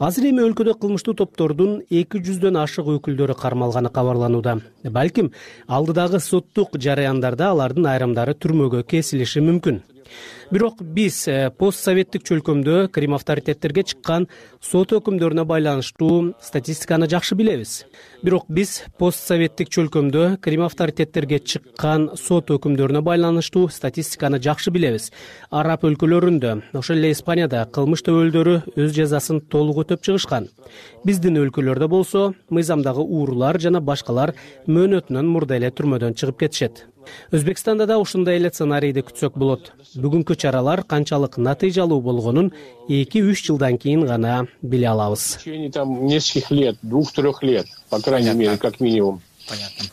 Speaker 11: Азыр эми өлкөдө кылмыштуу топтордун 200дөн ашык өкүлдөрү кармалганы кабарланууда. Балким алдыдагы соттук жараяндарда алардын айрымдары түрмөгө кесилиши мүмкүн. Бирок биз постсоветтик чөлкөмдө Крим авторитеттерге чыккан сот өкүмдөрүнө байланыштуу статистиканы жакшы билебиз. Бирок биз постсоветтик чөлкөмдө Крим авторитеттерге чыккан сот өкүмдөрүнө байланыштуу статистиканы жакшы билебиз. Араб өлкөлөрүндө, ошол эле Испанияда кылмыш төбөлдөрү өз жазасын толук өтөп чыгышкан. Биздин өлкөлөрдө болсо, мыйзамдагы уурулар жана башкалар мөөнөтүнөн мурда эле түрмөдөн чыгып кетишет. Өзбекстанда да ушундай эле сценарийди күтсөк болот. Бүгүнкү чаралар канчалык натыйжалуу болгонун 2-3 жылдан кийин гана биле алабыз.
Speaker 24: В течение нескольких лет, 2-3 лет, по крайней мере, как минимум.
Speaker 20: Понятно.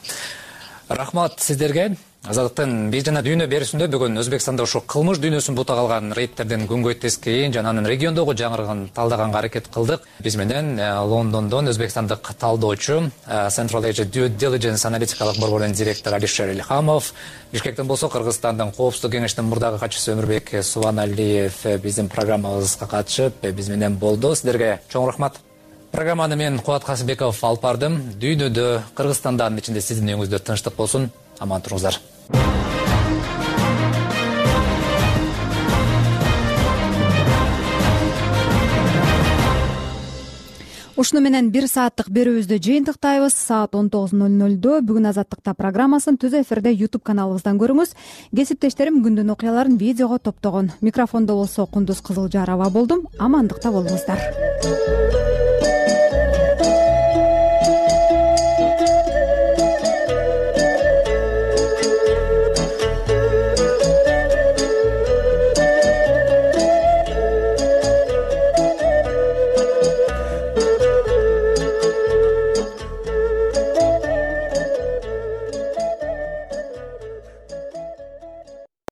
Speaker 20: Рахмат сиздерге. Азаттыктын биз жана дүйнө берүүсүндө бүгүн Өзбекстанда ошо кылмыш дүйнөсүн бутап алган рейдтердин күнгөйт жана анын региондогу жаңырыгын талдаганга аракет кылдык. Биз менен Лондондон өзбекстандык талдоочу, Central Asia Due Diligence аналитикалык борборунун директору Алишер Ильхамов, Бишкектен болсо Кыргызстандын коопсуздук кеңешинин мурдагы катчысы Өмүрбек Субаналиев биздин программабызга катышып, биз менен болду. Сиздерге чоң рахмат. Программаны мен Кубат Касымбеков алып бардым. Дүйнөдө, Кыргызстандын ичинде сиздин үйүңүздө тынчтык болсун. Аман туруңуздар.
Speaker 1: Ушуну менен 1 сааттык берүүбүздү жыйынтыктайбыз. Саат 19:00 бүгүн Азаттыкта программасын түз эфирде YouTube каналыбыздан көрүңүз. Кесиптештерим күндүн окуяларын видеого топтогон. Микрофондо болсо Кундуз Кызылжарова болдум. Амандыкта болуңуздар.